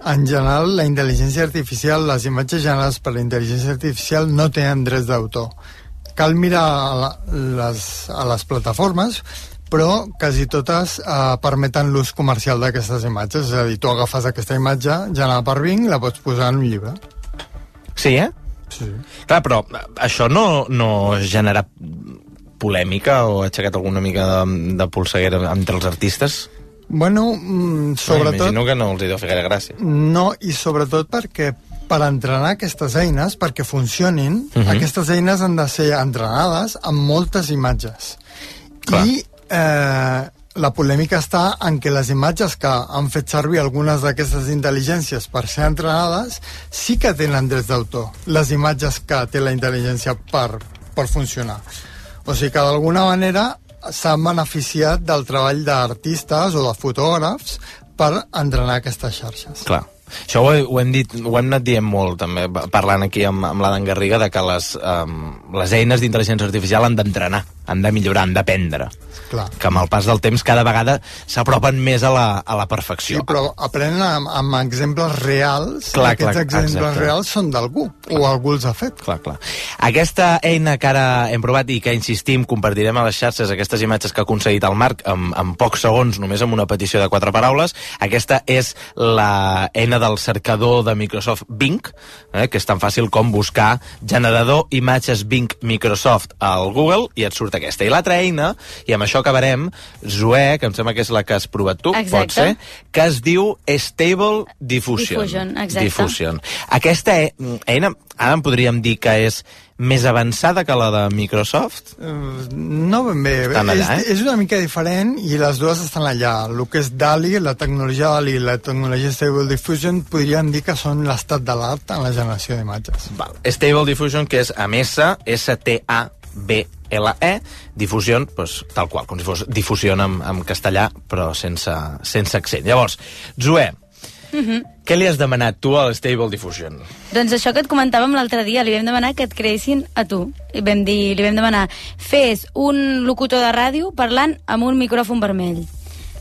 En general, la intel·ligència artificial, les imatges generades per la intel·ligència artificial no tenen drets d'autor. Cal mirar a, la, les, a les plataformes, però quasi totes eh, permeten l'ús comercial d'aquestes imatges. És a dir, tu agafes aquesta imatge generada per Bing, la pots posar en un llibre. Sí, eh? Sí. Clar, però això no, no genera polèmica o ha aixecat alguna mica de, de polseguera entre els artistes? Bueno, mm, sobretot... Imagino que no els hi deu fer gaire gràcia. No, i sobretot perquè per entrenar aquestes eines, perquè funcionin, uh -huh. aquestes eines han de ser entrenades amb moltes imatges. Clar. I eh, la polèmica està en que les imatges que han fet servir algunes d'aquestes intel·ligències per ser entrenades sí que tenen drets d'autor, les imatges que té la intel·ligència per, per funcionar. O sigui que d'alguna manera s'han beneficiat del treball d'artistes o de fotògrafs per entrenar aquestes xarxes. Clar. Això ho, ho, hem dit, ho hem anat dient molt, també, parlant aquí amb, amb l'Adam Garriga, de que les, um, les eines d'intel·ligència artificial han d'entrenar, han de millorar, han d'aprendre. Clar. Que amb el pas del temps cada vegada s'apropen més a la, a la perfecció. Sí, però aprenen amb, amb exemples reals. Clar, Aquests clar, exemples exacte. reals són d'algú, o algú els ha fet. Clar, clar. Aquesta eina que ara hem provat i que, insistim, compartirem a les xarxes, aquestes imatges que ha aconseguit el Marc en, en pocs segons, només amb una petició de quatre paraules, aquesta és la eina del cercador de Microsoft Bing, eh, que és tan fàcil com buscar generador imatges Bing Microsoft al Google i et surt aquesta. I l'altra eina, i amb això acabarem, Zoe, que em sembla que és la que has provat tu, exacte. Pot ser, que es diu Stable Diffusion. Diffusion, exacte. Diffusion. Aquesta e eina, ara en podríem dir que és més avançada que la de Microsoft? Uh, no ben bé. Estan allà, és, eh? és una mica diferent i les dues estan allà. El que és DALI, la tecnologia DALI i la tecnologia Stable Diffusion podríem dir que són l'estat de l'art en la generació d'imatges. Stable Diffusion, que és amb S, S T A B L E, difusió, pues, tal qual, com si fos difusió en, en castellà, però sense, sense accent. Llavors, Zoe, Uh-huh. què li has demanat tu al Stable Diffusion? Doncs això que et comentàvem l'altre dia, li vam demanar que et creessin a tu. I vam dir, li vam demanar, fes un locutor de ràdio parlant amb un micròfon vermell.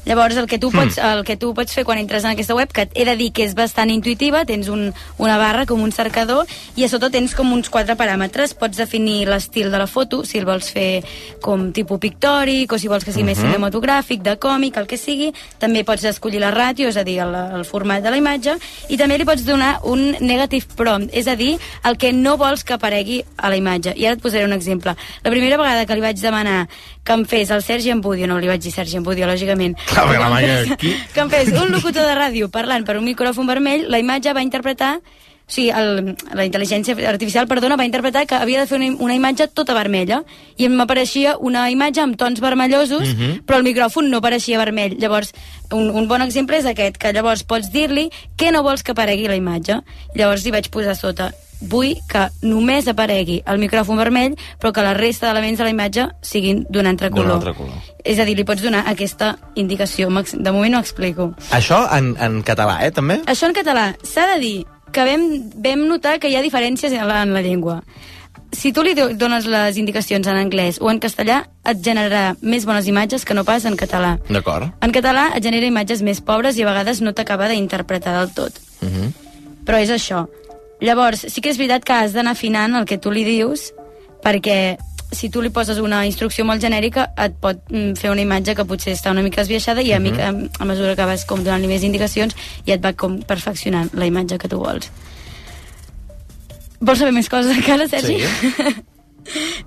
Llavors, el que, tu pots, el que tu pots fer quan entres en aquesta web, que he de dir que és bastant intuïtiva, tens un, una barra com un cercador i a sota tens com uns quatre paràmetres. Pots definir l'estil de la foto, si el vols fer com tipus pictòric o si vols que sigui uh-huh. més cinematogràfic, de còmic, el que sigui. També pots escollir la ràtio, és a dir, el, el format de la imatge, i també li pots donar un negative prompt, és a dir, el que no vols que aparegui a la imatge. I ara et posaré un exemple. La primera vegada que li vaig demanar que em fes el Sergi Ambudio, no li vaig dir Sergi Ambudio, lògicament, que em, fes, que em fes un locutor de ràdio parlant per un micròfon vermell, la imatge va interpretar, o sigui, el, la intel·ligència artificial, perdona, va interpretar que havia de fer una, una imatge tota vermella, i m'apareixia una imatge amb tons vermellosos, uh-huh. però el micròfon no apareixia vermell. Llavors, un, un bon exemple és aquest, que llavors pots dir-li què no vols que aparegui la imatge. Llavors hi vaig posar sota, vull que només aparegui el micròfon vermell, però que la resta d'elements de la imatge siguin d'un altre color. D'un altre color. És a dir, li pots donar aquesta indicació. De moment no explico. Això en, en català, eh, també? Això en català. S'ha de dir que vam, vam notar que hi ha diferències en la, en la llengua. Si tu li dones les indicacions en anglès o en castellà, et generarà més bones imatges que no pas en català. D'acord. En català et genera imatges més pobres i a vegades no t'acaba d'interpretar del tot. Uh-huh. Però és això. Llavors, sí que és veritat que has d'anar afinant el que tu li dius, perquè si tu li poses una instrucció molt genèrica et pot fer una imatge que potser està una mica esbiaixada i a, uh-huh. mica, a mesura que vas com donant-li més indicacions ja et va com perfeccionant la imatge que tu vols. Vols saber més coses encara, Sergi? Sí.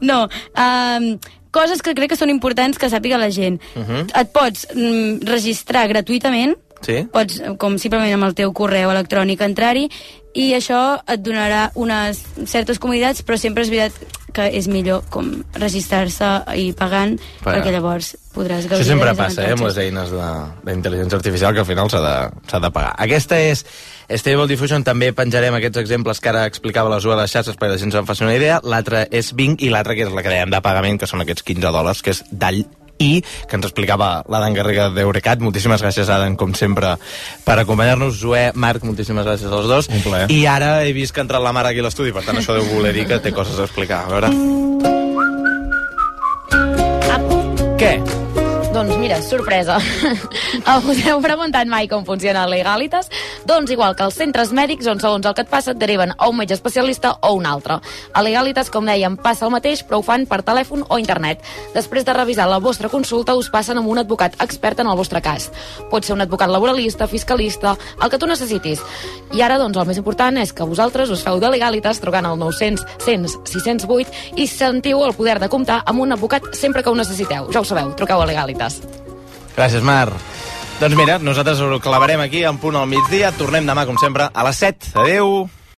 No, um, coses que crec que són importants que sàpiga la gent. Uh-huh. Et pots um, registrar gratuïtament, sí. Pots, com simplement amb el teu correu electrònic, entrar-hi, i això et donarà unes certes comoditats, però sempre és veritat que és millor com registrar-se i pagant, Però, perquè llavors podràs gaudir. Això sempre dels passa, eh, amb les eines d'intel·ligència artificial, que al final s'ha de, s'ha de pagar. Aquesta és Stable Diffusion, també penjarem aquests exemples que ara explicava la Zoe a les xarxes perquè la gent se'n faci una idea. L'altra és Bing i l'altra, que és la que dèiem de pagament, que són aquests quinze dòlars, que és Dall I, que ens explicava l'Adam Garriga d'Eurecat. Moltíssimes gràcies, Adam, com sempre, per acompanyar-nos. Zoe, Marc, moltíssimes gràcies als dos. Un plaer. I ara he vist que ha entrat la mare aquí a l'estudi, per tant això deu voler dir que té coses a explicar. A veure... Què? Doncs mira, sorpresa. Us heu preguntat mai com funciona Legalitas? Doncs igual que els centres mèdics, on segons el que et passa et deriven a un metge especialista o un altre. A Legalitas, com dèiem, passa el mateix, però ho fan per telèfon o internet. Després de revisar la vostra consulta, us passen amb un advocat expert en el vostre cas. Pot ser un advocat laboralista, fiscalista, el que tu necessitis. I ara, doncs, el més important és que vosaltres us feu de Legalitas trucant al nou cents, cent, sis cents vuit i sentiu el poder de comptar amb un advocat sempre que ho necessiteu. Ja ho sabeu, truqueu a Legalitas. Gràcies, Mar. Doncs mira, nosaltres ho clavarem aquí en punt al migdia. Tornem demà, com sempre, a les set. Adéu!